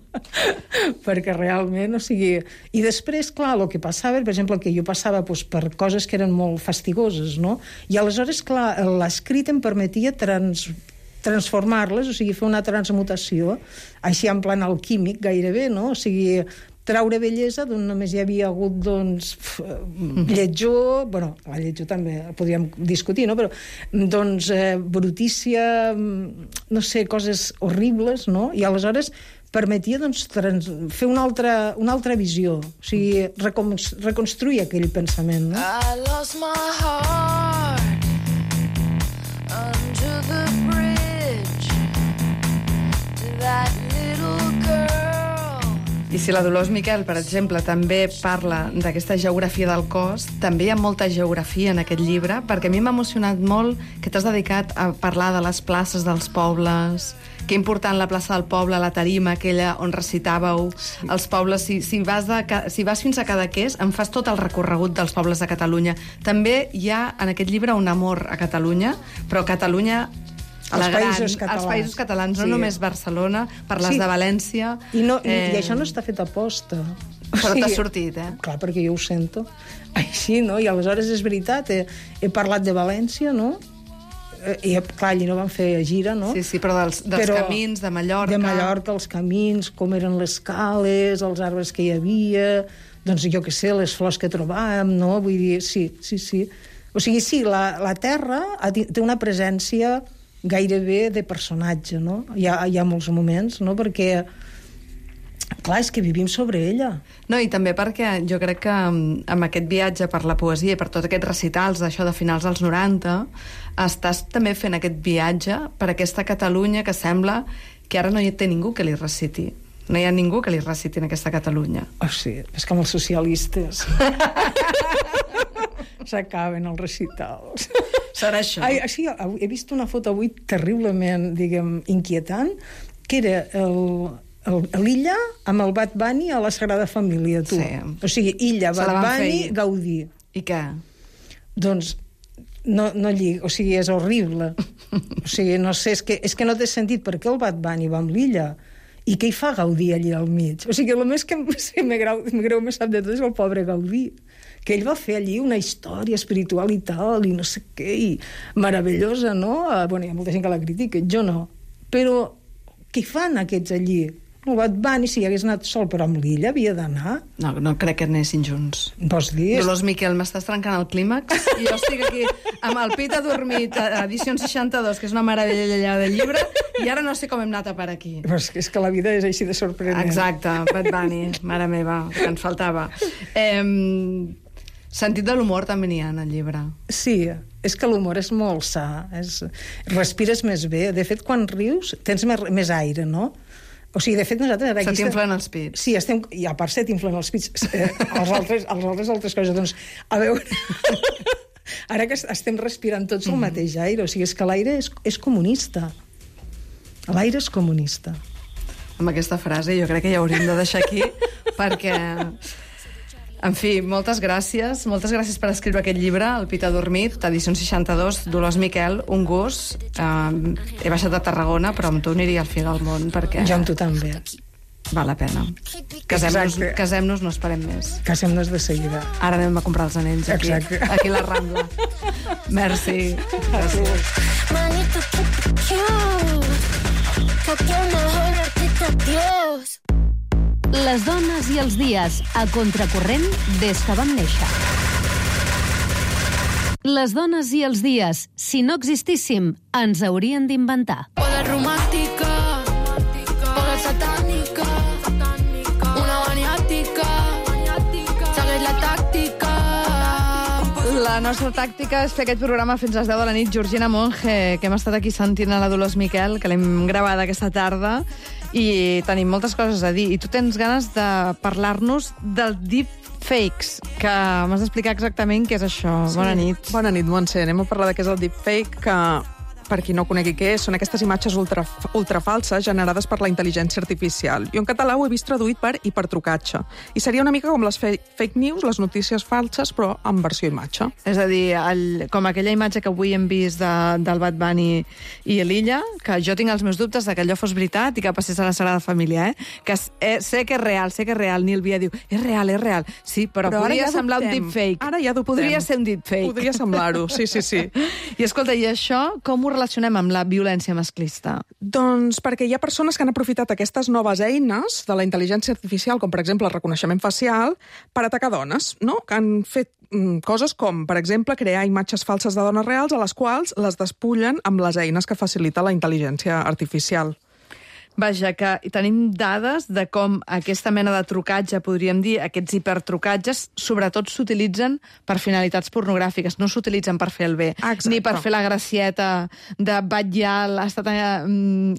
Perquè realment, o sigui... I després, clar, el que passava, per exemple, que jo passava doncs, per coses que eren molt fastigoses, no? I aleshores, clar, l'escrit em permetia trans transformar-les, o sigui, fer una transmutació, així en plan alquímic gairebé, no? O sigui, traure bellesa d'on només hi havia hagut, doncs, lletjor, bueno, la lletjor també podríem discutir, no? Però, doncs, eh, brutícia, no sé, coses horribles, no? I aleshores permetia, doncs, trans fer una altra, una altra visió, o sigui, recon reconstruir aquell pensament, no? I lost my heart under the bridge to that little girl. I si la Dolors Miquel, per exemple, també parla d'aquesta geografia del cos, també hi ha molta geografia en aquest llibre, perquè a mi m'ha emocionat molt que t'has dedicat a parlar de les places dels pobles, que important la plaça del poble, la tarima aquella on recitàveu, sí. Els pobles, si, si, vas de, si vas fins a Cadaqués, em fas tot el recorregut dels pobles de Catalunya. També hi ha en aquest llibre un amor a Catalunya, però Catalunya... Els la gran, països catalans. Els països catalans, no Sí. només Barcelona, parles Sí. de València... I, no, i, eh, I això no està fet a posta. Però t'ha sortit, eh? Clar, perquè jo ho sento. Així, no? I aleshores és veritat, he, he parlat de València, no? I, clar, allí no van fer gira, no? Sí, sí, però dels, dels Però camins de Mallorca... De Mallorca, els camins, com eren les cales, els arbres que hi havia, doncs jo què sé, les flors que trobàvem, no? Vull dir, sí, sí, sí. O sigui, sí, la, la Terra té una presència gairebé de personatge, no? Hi ha, hi ha molts moments, no? Perquè, clar, és que vivim sobre ella. No, i també perquè jo crec que amb aquest viatge per la poesia i per tots aquests recitals d'això de finals dels noranta, estàs també fent aquest viatge per aquesta Catalunya que sembla que ara no hi té ningú que li reciti. No hi ha ningú que li reciti en aquesta Catalunya. Oh, sí, és com els socialistes. S'acaben els recitals. Serà això. Ai, sí, he vist una foto avui terriblement, diguem, inquietant, que era l'Illa amb el Bad Bunny a la Sagrada Família, tu. Sí. O sigui, Illa, Se la Bad van Bunny, fer. Gaudí. I què? Doncs no, no lliga, o sigui, és horrible. O sigui, no sé, és que, és que no té sentit per què el Bad Bunny va amb l'Illa i què hi fa Gaudí allí al mig. O sigui, el més que sí, me greu, me greu més sap de tot és el pobre Gaudí, que ell va fer allí una història espiritual i tal, i no sé què, i meravellosa, no? Bueno, hi ha molta gent que la critica, jo no. Però què fan aquests allí? El Bad Bunny, si hagués anat sol, però amb l'Illa havia d'anar. No, no crec que anessin junts. Vols dir? Dolors Miquel, m'estàs trencant el clímax i jo estic aquí amb el pit adormit, edició seixanta-dos, que és una meravella de llibre, i ara no sé com hem anat a per aquí. Però és que, és que la vida és així de sorprenent. Exacte, Bad Bunny, mare meva, que ens faltava. Eh, sentit de l'humor també n'hi ha en el llibre. Sí, és que l'humor és molt sa, és... respires més bé. De fet, quan rius, tens més, més aire, no? O sigui, de fet, nosaltres... Ara Se aquí t'inflen els pits. Sí, estem... i a part se t'inflen els pits. Eh, els, altres, els altres altres coses. Doncs, a veure... Ara que estem respirant tots el mateix aire, o sigui, és que l'aire és, és comunista. L'aire és comunista. Amb aquesta frase jo crec que ja hauríem de deixar aquí, perquè En fi, moltes gràcies. Moltes gràcies per escriure aquest llibre, El pit adormit, edició seixanta-dos, Dolors Miquel, un gust. Uh, he baixat de Tarragona, però amb tu aniria al fi del món, perquè Jo amb tu també. val la pena. Casem-nos, Exacte. casem-nos, no esperem més. Casem-nos de seguida. Ara anem a comprar els anells aquí, Exacte. aquí a la Rambla. Merci. Gràcies. Manito, que cute, que tiene mejor artista Dios. Les dones i els dies, a contracorrent des que vam néixer. Les dones i els dies, si no existíssim, ens haurien d'inventar. Poder romàntica, poder satànica, una maniàtica, segueix la tàctica. La nostra tàctica és fer aquest programa fins a les deu de la nit. Georgina Monge, que hem estat aquí sentint a la Dolors Miquel, que l'hem gravat aquesta tarda, i tenim moltes coses a dir. I tu tens ganes de parlar-nos del deepfakes, que m'has d'explicar exactament què és això. Sí. Bona nit. Bona nit, Montse. Anem a parlar de què és el deepfake, que, per qui no conegui què és, són aquestes imatges ultra, ultrafalses generades per la intel·ligència artificial. Jo en català ho he vist traduït per hipertrucatge. I seria una mica com les fe fake news, les notícies falses, però en versió imatge. És a dir, el, com aquella imatge que avui hem vist de, del Bad Bunny i l'Illa, que jo tinc els meus dubtes de que allò fos veritat i que passés a la Sagrada Família, eh? Que eh, sé que és real, sé que és real. Nil Via diu, és real, és real. Sí, però, Però ara podria ja semblar un dubtem. deepfake. Ara ja dubtem. Podria ser un deepfake. Podria semblar-ho, sí, sí, sí. I escolta, i això com ho relacionem amb la violència masclista? Doncs perquè hi ha persones que han aprofitat aquestes noves eines de la intel·ligència artificial, com per exemple el reconeixement facial, per atacar dones, no? Que han fet mm, coses com, per exemple, crear imatges falses de dones reals a les quals les despullen amb les eines que facilita la intel·ligència artificial. Vaja, que tenim dades de com aquesta mena de trucatge, podríem dir, aquests hipertrucatges, sobretot s'utilitzen per finalitats pornogràfiques, no s'utilitzen per fer el bé. Exacte. Ni per fer la gracieta de Batllal ha estat, eh,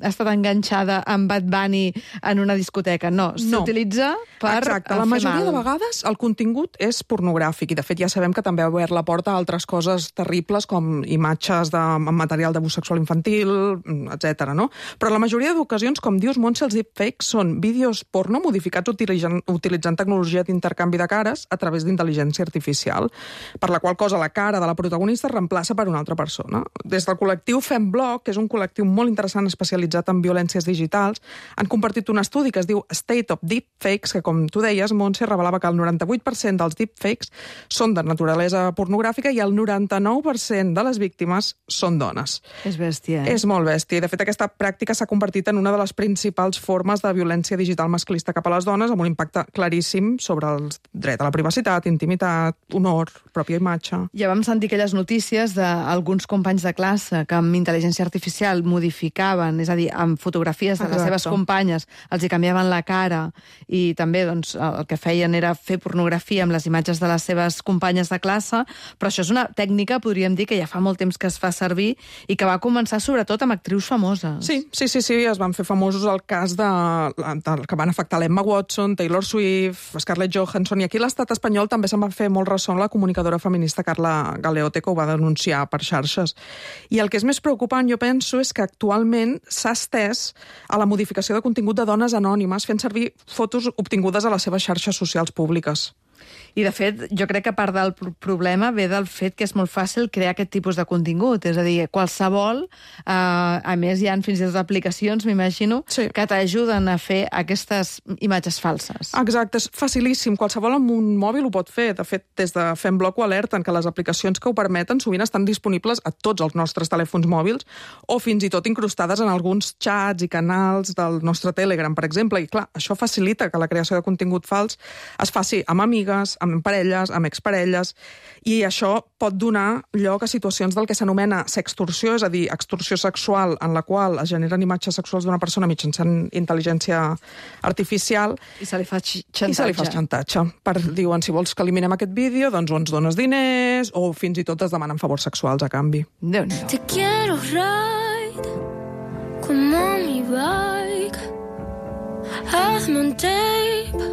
ha estat enganxada amb Bad Bunny en una discoteca. No, No. s'utilitza per Exacte. fer La majoria mal. de vegades el contingut és pornogràfic i, de fet, ja sabem que també ha obert la porta a altres coses terribles com imatges de amb material d'abús sexual infantil, etcètera. No? Però la majoria d'ocasions, com dius, Montse, els deepfakes són vídeos porno modificats utilitzant, utilitzant tecnologia d'intercanvi de cares a través d'intel·ligència artificial, per la qual cosa la cara de la protagonista es reemplaça per una altra persona. Des del col·lectiu FemBlock, que és un col·lectiu molt interessant especialitzat en violències digitals, han compartit un estudi que es diu State of Deepfakes, que, com tu deies, Montse, revelava que el noranta-vuit per cent dels deepfakes són de naturalesa pornogràfica i el noranta-nou per cent de les víctimes són dones. És bèstia, eh? És molt bèstia. I, de fet, aquesta pràctica s'ha convertit en una de les principals formes de violència digital masclista cap a les dones, amb un impacte claríssim sobre el dret a la privacitat, intimitat, honor, pròpia imatge. Ja vam sentir aquelles notícies d'alguns companys de classe que amb intel·ligència artificial modificaven, és a dir, amb fotografies de les Exacte. seves companyes, els hi canviaven la cara i també doncs, el que feien era fer pornografia amb les imatges de les seves companyes de classe, però això és una tècnica, podríem dir, que ja fa molt temps que es fa servir i que va començar sobretot amb actrius famoses. Sí, sí, sí, sí, es van fer famosos el cas de, de que van afectar l'Emma Watson, Taylor Swift, Scarlett Johansson, i aquí a l'estat espanyol també se'n va fer molt ressò la comunicadora feminista Carla Galeote, que ho va denunciar per xarxes. I el que és més preocupant, jo penso, és que actualment s'ha estès a la modificació de contingut de dones anònimes fent servir fotos obtingudes a les seves xarxes socials públiques. I, de fet, jo crec que part del problema ve del fet que és molt fàcil crear aquest tipus de contingut. És a dir, qualsevol, eh, a més, hi ha fins i tot aplicacions, m'imagino, Sí. que t'ajuden a fer aquestes imatges falses. Exacte, és facilíssim. Qualsevol amb un mòbil ho pot fer. De fet, des de FemBlock ho alerten que les aplicacions que ho permeten sovint estan disponibles a tots els nostres telèfons mòbils o fins i tot incrustades en alguns xats i canals del nostre Telegram, per exemple. I, clar, això facilita que la creació de contingut fals es faci amb amigues, amb parelles, amb exparelles, i això pot donar lloc a situacions del que s'anomena sextorsió, és a dir, extorsió sexual en la qual es generen imatges sexuals d'una persona mitjançant intel·ligència artificial I se li fa xantatge. i se li fa xantatge. Per, diuen, si vols que eliminem aquest vídeo, doncs o ens dones diners o fins i tot es demanen favors sexuals a canvi. Déu-n'hi-do. Te quiero ride como mi bike. Hazme un tape,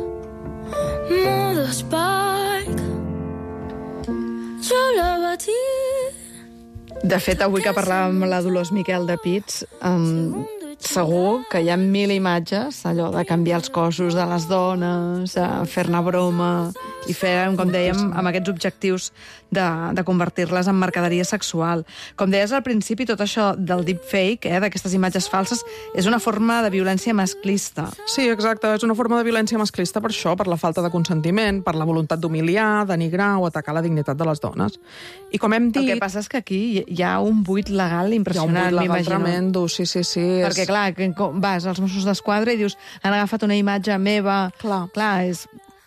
modo Spike. Yo la batí. De fet, avui que parlàvem amb la Dolors Miquel de pits, um, segur que hi ha mil imatges, allò de canviar els cossos de les dones, fer-ne broma i fer, com dèiem, amb aquests objectius de, de convertir-les en mercaderia sexual. Com deies al principi, tot això del deepfake, eh, d'aquestes imatges falses, és una forma de violència masclista. Sí, exacte, és una forma de violència masclista per això, per la falta de consentiment, per la voluntat d'humiliar, denigrar o atacar la dignitat de les dones. I com hem dit... El que passa és que aquí hi ha un buit legal impressionant, m'imagino. Hi ha un buit legal m'imagino. tremendo, sí, sí, sí. Perquè, és... clar, que vas als Mossos d'Esquadra i dius han agafat una imatge meva... Clar. Clar, és...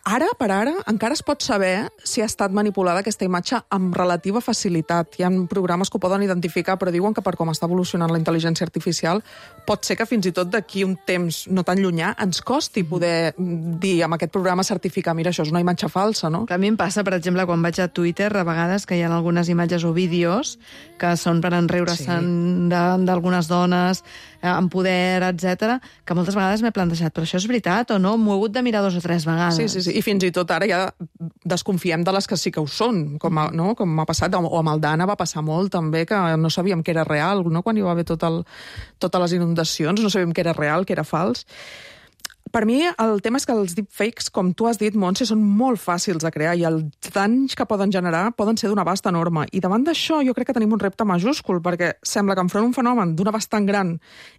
Ara, per ara, encara es pot saber si ha estat manipulada aquesta imatge amb relativa facilitat. Hi ha programes que ho poden identificar, però diuen que per com està evolucionant la intel·ligència artificial, pot ser que fins i tot d'aquí un temps no tan llunyà ens costi poder dir amb aquest programa certificar, mira, això és una imatge falsa, no? A mi em passa, per exemple, quan vaig a Twitter, a vegades que hi ha algunes imatges o vídeos que són per enriure-se'n sí. d'algunes dones, amb poder, etcètera, que moltes vegades m'he plantejat, però això és veritat o no? M'ho he hagut de mirar dos o tres vegades. Sí, sí, sí. I fins i tot ara ja desconfiem de les que sí que ho són, com, a, no? com m'ha passat, o amb el Dana va passar molt també, que no sabíem que era real, no? Quan hi va haver tot el, totes les inundacions, no sabíem que era real, que era fals. Per mi, el tema és que els deepfakes, com tu has dit, Montse, són molt fàcils de crear i els danys que poden generar poden ser d'un abast enorme. I davant d'això jo crec que tenim un repte majúscul, perquè sembla que enfront un fenomen d'un abast tan gran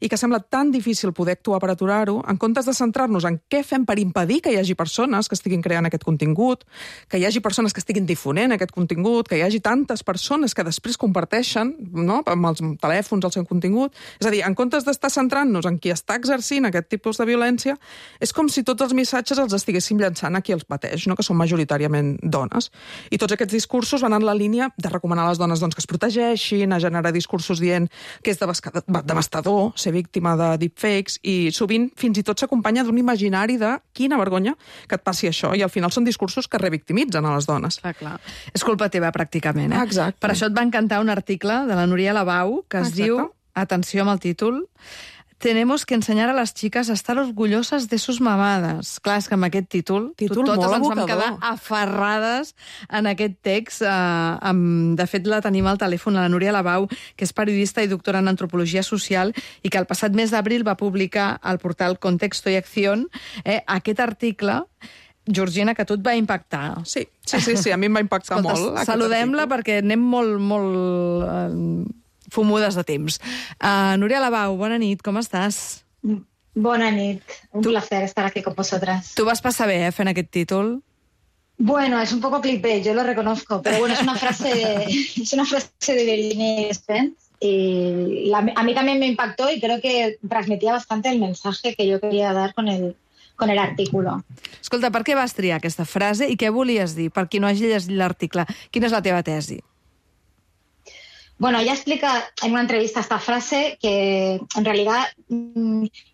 i que sembla tan difícil poder actuar per aturar-ho, en comptes de centrar-nos en què fem per impedir que hi hagi persones que estiguin creant aquest contingut, que hi hagi persones que estiguin difonent aquest contingut, que hi hagi tantes persones que després comparteixen, no?, amb els telèfons el seu contingut. És a dir, en comptes d'estar centrant-nos en qui està exercint aquest tipus de violència, és com si tots els missatges els estiguéssim llançant a qui els pateix, no? Que són majoritàriament dones. I tots aquests discursos van en la línia de recomanar a les dones doncs, que es protegeixin, a generar discursos dient que és devastador ser víctima de deepfakes i sovint fins i tot s'acompanya d'un imaginari de quina vergonya que et passi això. I al final són discursos que revictimitzen a les dones. Clar, clar. És culpa teva, pràcticament. Eh? Exacte. Per això et va encantar un article de la Núria Labau que es Exacte. diu, atenció amb el títol, tenemos que enseñar a las chicas a estar orgullosas de sus mamadas. Clar, és que amb aquest títol, títol totes molt ens vam evocador. quedar aferrades en aquest text. Eh, amb, de fet, la tenim al telèfon, la Núria Labau, que és periodista i doctora en antropologia social i que el passat mes d'abril va publicar al portal Contexto y Acción eh, aquest article. Georgina, que a tu et va impactar. Sí, sí, sí, sí a mi em va impactar Escolta, molt. Saludem-la perquè anem molt, molt eh, fumudes de temps. Uh, Núria Labau, bona nit, com estàs? Bona nit, un tu... placer estar aquí con vosotras. Tu vas passar bé, eh, fent aquest títol? Bueno, es un poco clickbait, yo lo reconozco, pero bueno, es una frase, es una frase de Virginia Spence y la, a mí también me impactó y creo que transmitía bastante el mensaje que yo quería dar con el, con el artículo. Escolta, per què vas triar aquesta frase i què volies dir? Per qui no hagi llegit l'article, quina és la teva tesi? Bueno, ella explica en una entrevista esta frase que en realidad,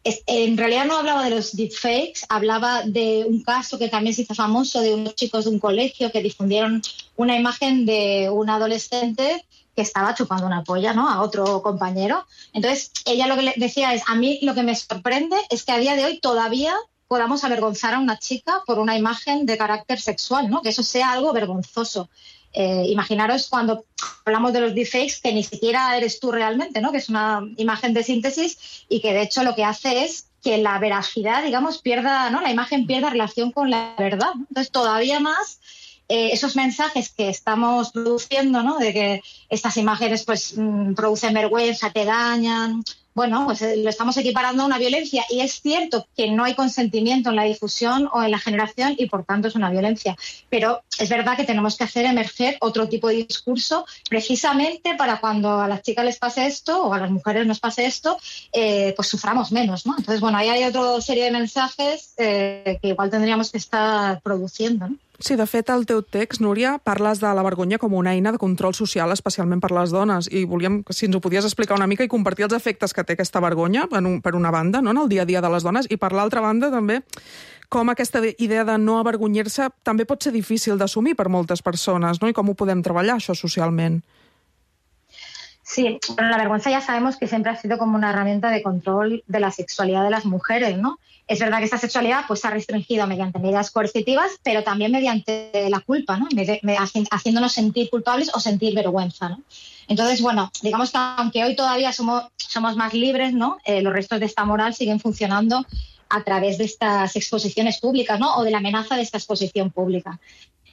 es, en realidad no hablaba de los deepfakes, hablaba de un caso que también se hizo famoso de unos chicos de un colegio que difundieron una imagen de un adolescente que estaba chupando una polla, ¿no?, a otro compañero. Entonces, ella lo que le decía es, a mí lo que me sorprende es que a día de hoy todavía podamos avergonzar a una chica por una imagen de carácter sexual, ¿no?, que eso sea algo vergonzoso. Eh, imaginaros cuando hablamos de los deepfakes que ni siquiera eres tú realmente, ¿no?, que es una imagen de síntesis y que de hecho lo que hace es que la veracidad, digamos, pierda, ¿no?, la imagen pierda relación con la verdad, ¿no? Entonces todavía más eh, esos mensajes que estamos produciendo, ¿no?, de que estas imágenes pues mmm, producen vergüenza, te dañan. Bueno, pues lo estamos equiparando a una violencia y es cierto que no hay consentimiento en la difusión o en la generación y por tanto es una violencia. Pero es verdad que tenemos que hacer emerger otro tipo de discurso precisamente para cuando a las chicas les pase esto o a las mujeres nos pase esto, eh, pues suframos menos, ¿no? Entonces, bueno, ahí hay otra serie de mensajes eh, que igual tendríamos que estar produciendo, ¿no? Sí, de fet, al teu text, Núria, parles de la vergonya com una eina de control social, especialment per les dones, i volíem, si ens ho podies explicar una mica i compartir els efectes que té aquesta vergonya, en un, per una banda, no?, en el dia a dia de les dones, i per l'altra banda, també, com aquesta idea de no avergonyir-se també pot ser difícil d'assumir per moltes persones, no?, i com ho podem treballar, això, socialment. Sí, bueno, la vergüenza ya sabemos que siempre ha sido como una herramienta de control de la sexualidad de las mujeres, ¿no? Es verdad que esta sexualidad pues, se ha restringido mediante medidas coercitivas, pero también mediante la culpa, ¿no? Me- me- haci- haciéndonos sentir culpables o sentir vergüenza, ¿no? Entonces, bueno, digamos que aunque hoy todavía somos, somos más libres, ¿no? Eh, los restos de esta moral siguen funcionando a través de estas exposiciones públicas, ¿no? O de la amenaza de esta exposición pública.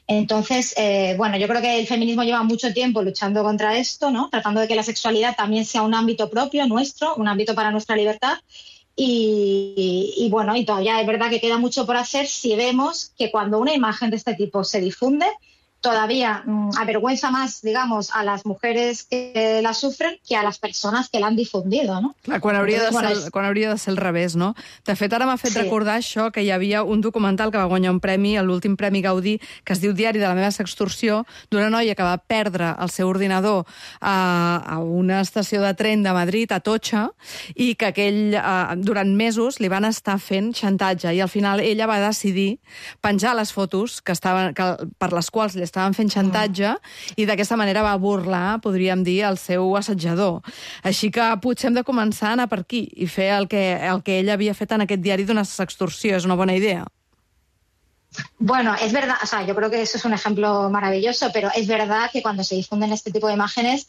Entonces, eh, bueno, yo creo que el feminismo lleva mucho tiempo luchando contra esto, ¿no? Tratando de que la sexualidad también sea un ámbito propio nuestro, un ámbito para nuestra libertad. Y, y bueno, y todavía es verdad que queda mucho por hacer si vemos que cuando una imagen de este tipo se difunde, todavía mmm, avergüenza más, digamos, a las mujeres que la sufren que a las persones que l'han difundido, no? Clar, quan hauria, de Entonces, ser, bueno, és- quan hauria de ser al revés, no? De fet, ara m'ha fet Sí. recordar això, que hi havia un documental que va guanyar un premi, l'últim Premi Gaudí, que es diu Diari de la meva sextorsió, d'una noia que va perdre el seu ordinador a, a una estació de tren de Madrid, a Totxa, i que aquell, eh, durant mesos li van estar fent xantatge, i al final ella va decidir penjar les fotos que estaven, que, per les quals li estaven fent xantatge, i d'aquesta manera va burlar, podríem dir, el seu assetjador. Així que potser hem de començar a anar per aquí i fer el que, el que ella havia fet en aquest diari d'una sextorsió. És una bona idea. Bueno, es verdad, o sea, yo creo que eso es un ejemplo maravilloso, pero es verdad que cuando se difunden este tipo de imágenes,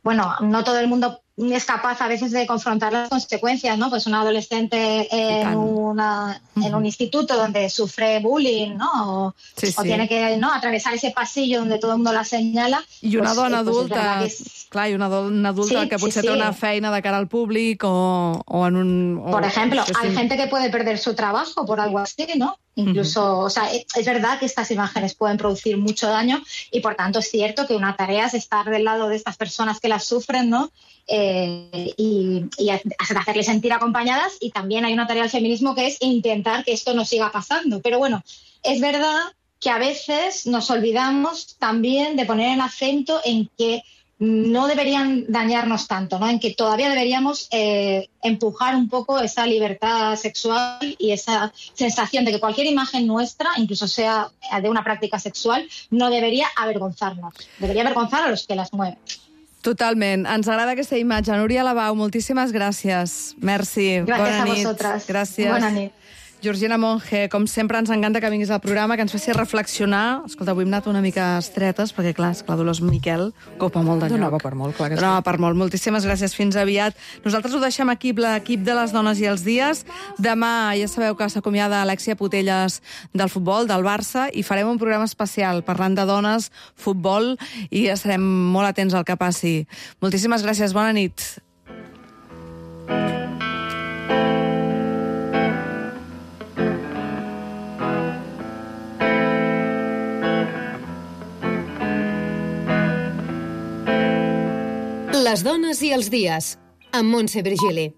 bueno, no todo el mundo es capaz a veces de confrontar las consecuencias, ¿no? Pues una adolescente en, una, en un instituto donde sufre bullying, ¿no? O, Sí, o sí. tiene que, ¿no?, atravesar ese pasillo donde todo el mundo la señala. I una pues, dona eh, pues es adulta, verdad que es- clar, i una dona adulta Sí, que sí, potser sí. té una feina de cara al públic o, o en un... o- Por ejemplo, sí, hay sí. gente que puede perder su trabajo por algo así, ¿no? Incluso, o sea, es es verdad que estas imágenes pueden producir mucho daño y por tanto es cierto que una tarea es estar del lado de estas personas que las sufren, ¿no? Eh, y, y hacerles sentir acompañadas, y también hay una tarea del feminismo que es intentar que esto no siga pasando. Pero bueno, es verdad que a veces nos olvidamos también de poner el acento en que no deberían dañarnos tanto, ¿no? En que todavía deberíamos eh, empujar un poco esa libertad sexual y esa sensación de que cualquier imagen nuestra, incluso sea de una práctica sexual, no debería avergonzarnos. Debería avergonzar a los que las mueven. Totalment. Ens agrada aquesta imatge. Núria Labau, moltíssimes gràcies. Merci. Gràcies Bona a nit. vosaltres. Gràcies. Bona nit. Georgina Monge, com sempre ens encanta que vinguis al programa, que ens faci reflexionar. Escolta, avui hem anat una mica estretes, perquè clar, esclar, Dolors Miquel copa molt de lloc. Donava per molt, clar que sí. Donava per molt. Moltíssimes gràcies, fins aviat. Nosaltres ho deixem aquí, l'equip de les dones i els dies. Demà ja sabeu que s'acomiada Alexia Putelles del futbol, del Barça, i farem un programa especial parlant de dones, futbol, i estarem molt atents al que passi. Moltíssimes gràcies, bona nit. Les dones i els dies, amb Montse Virgili.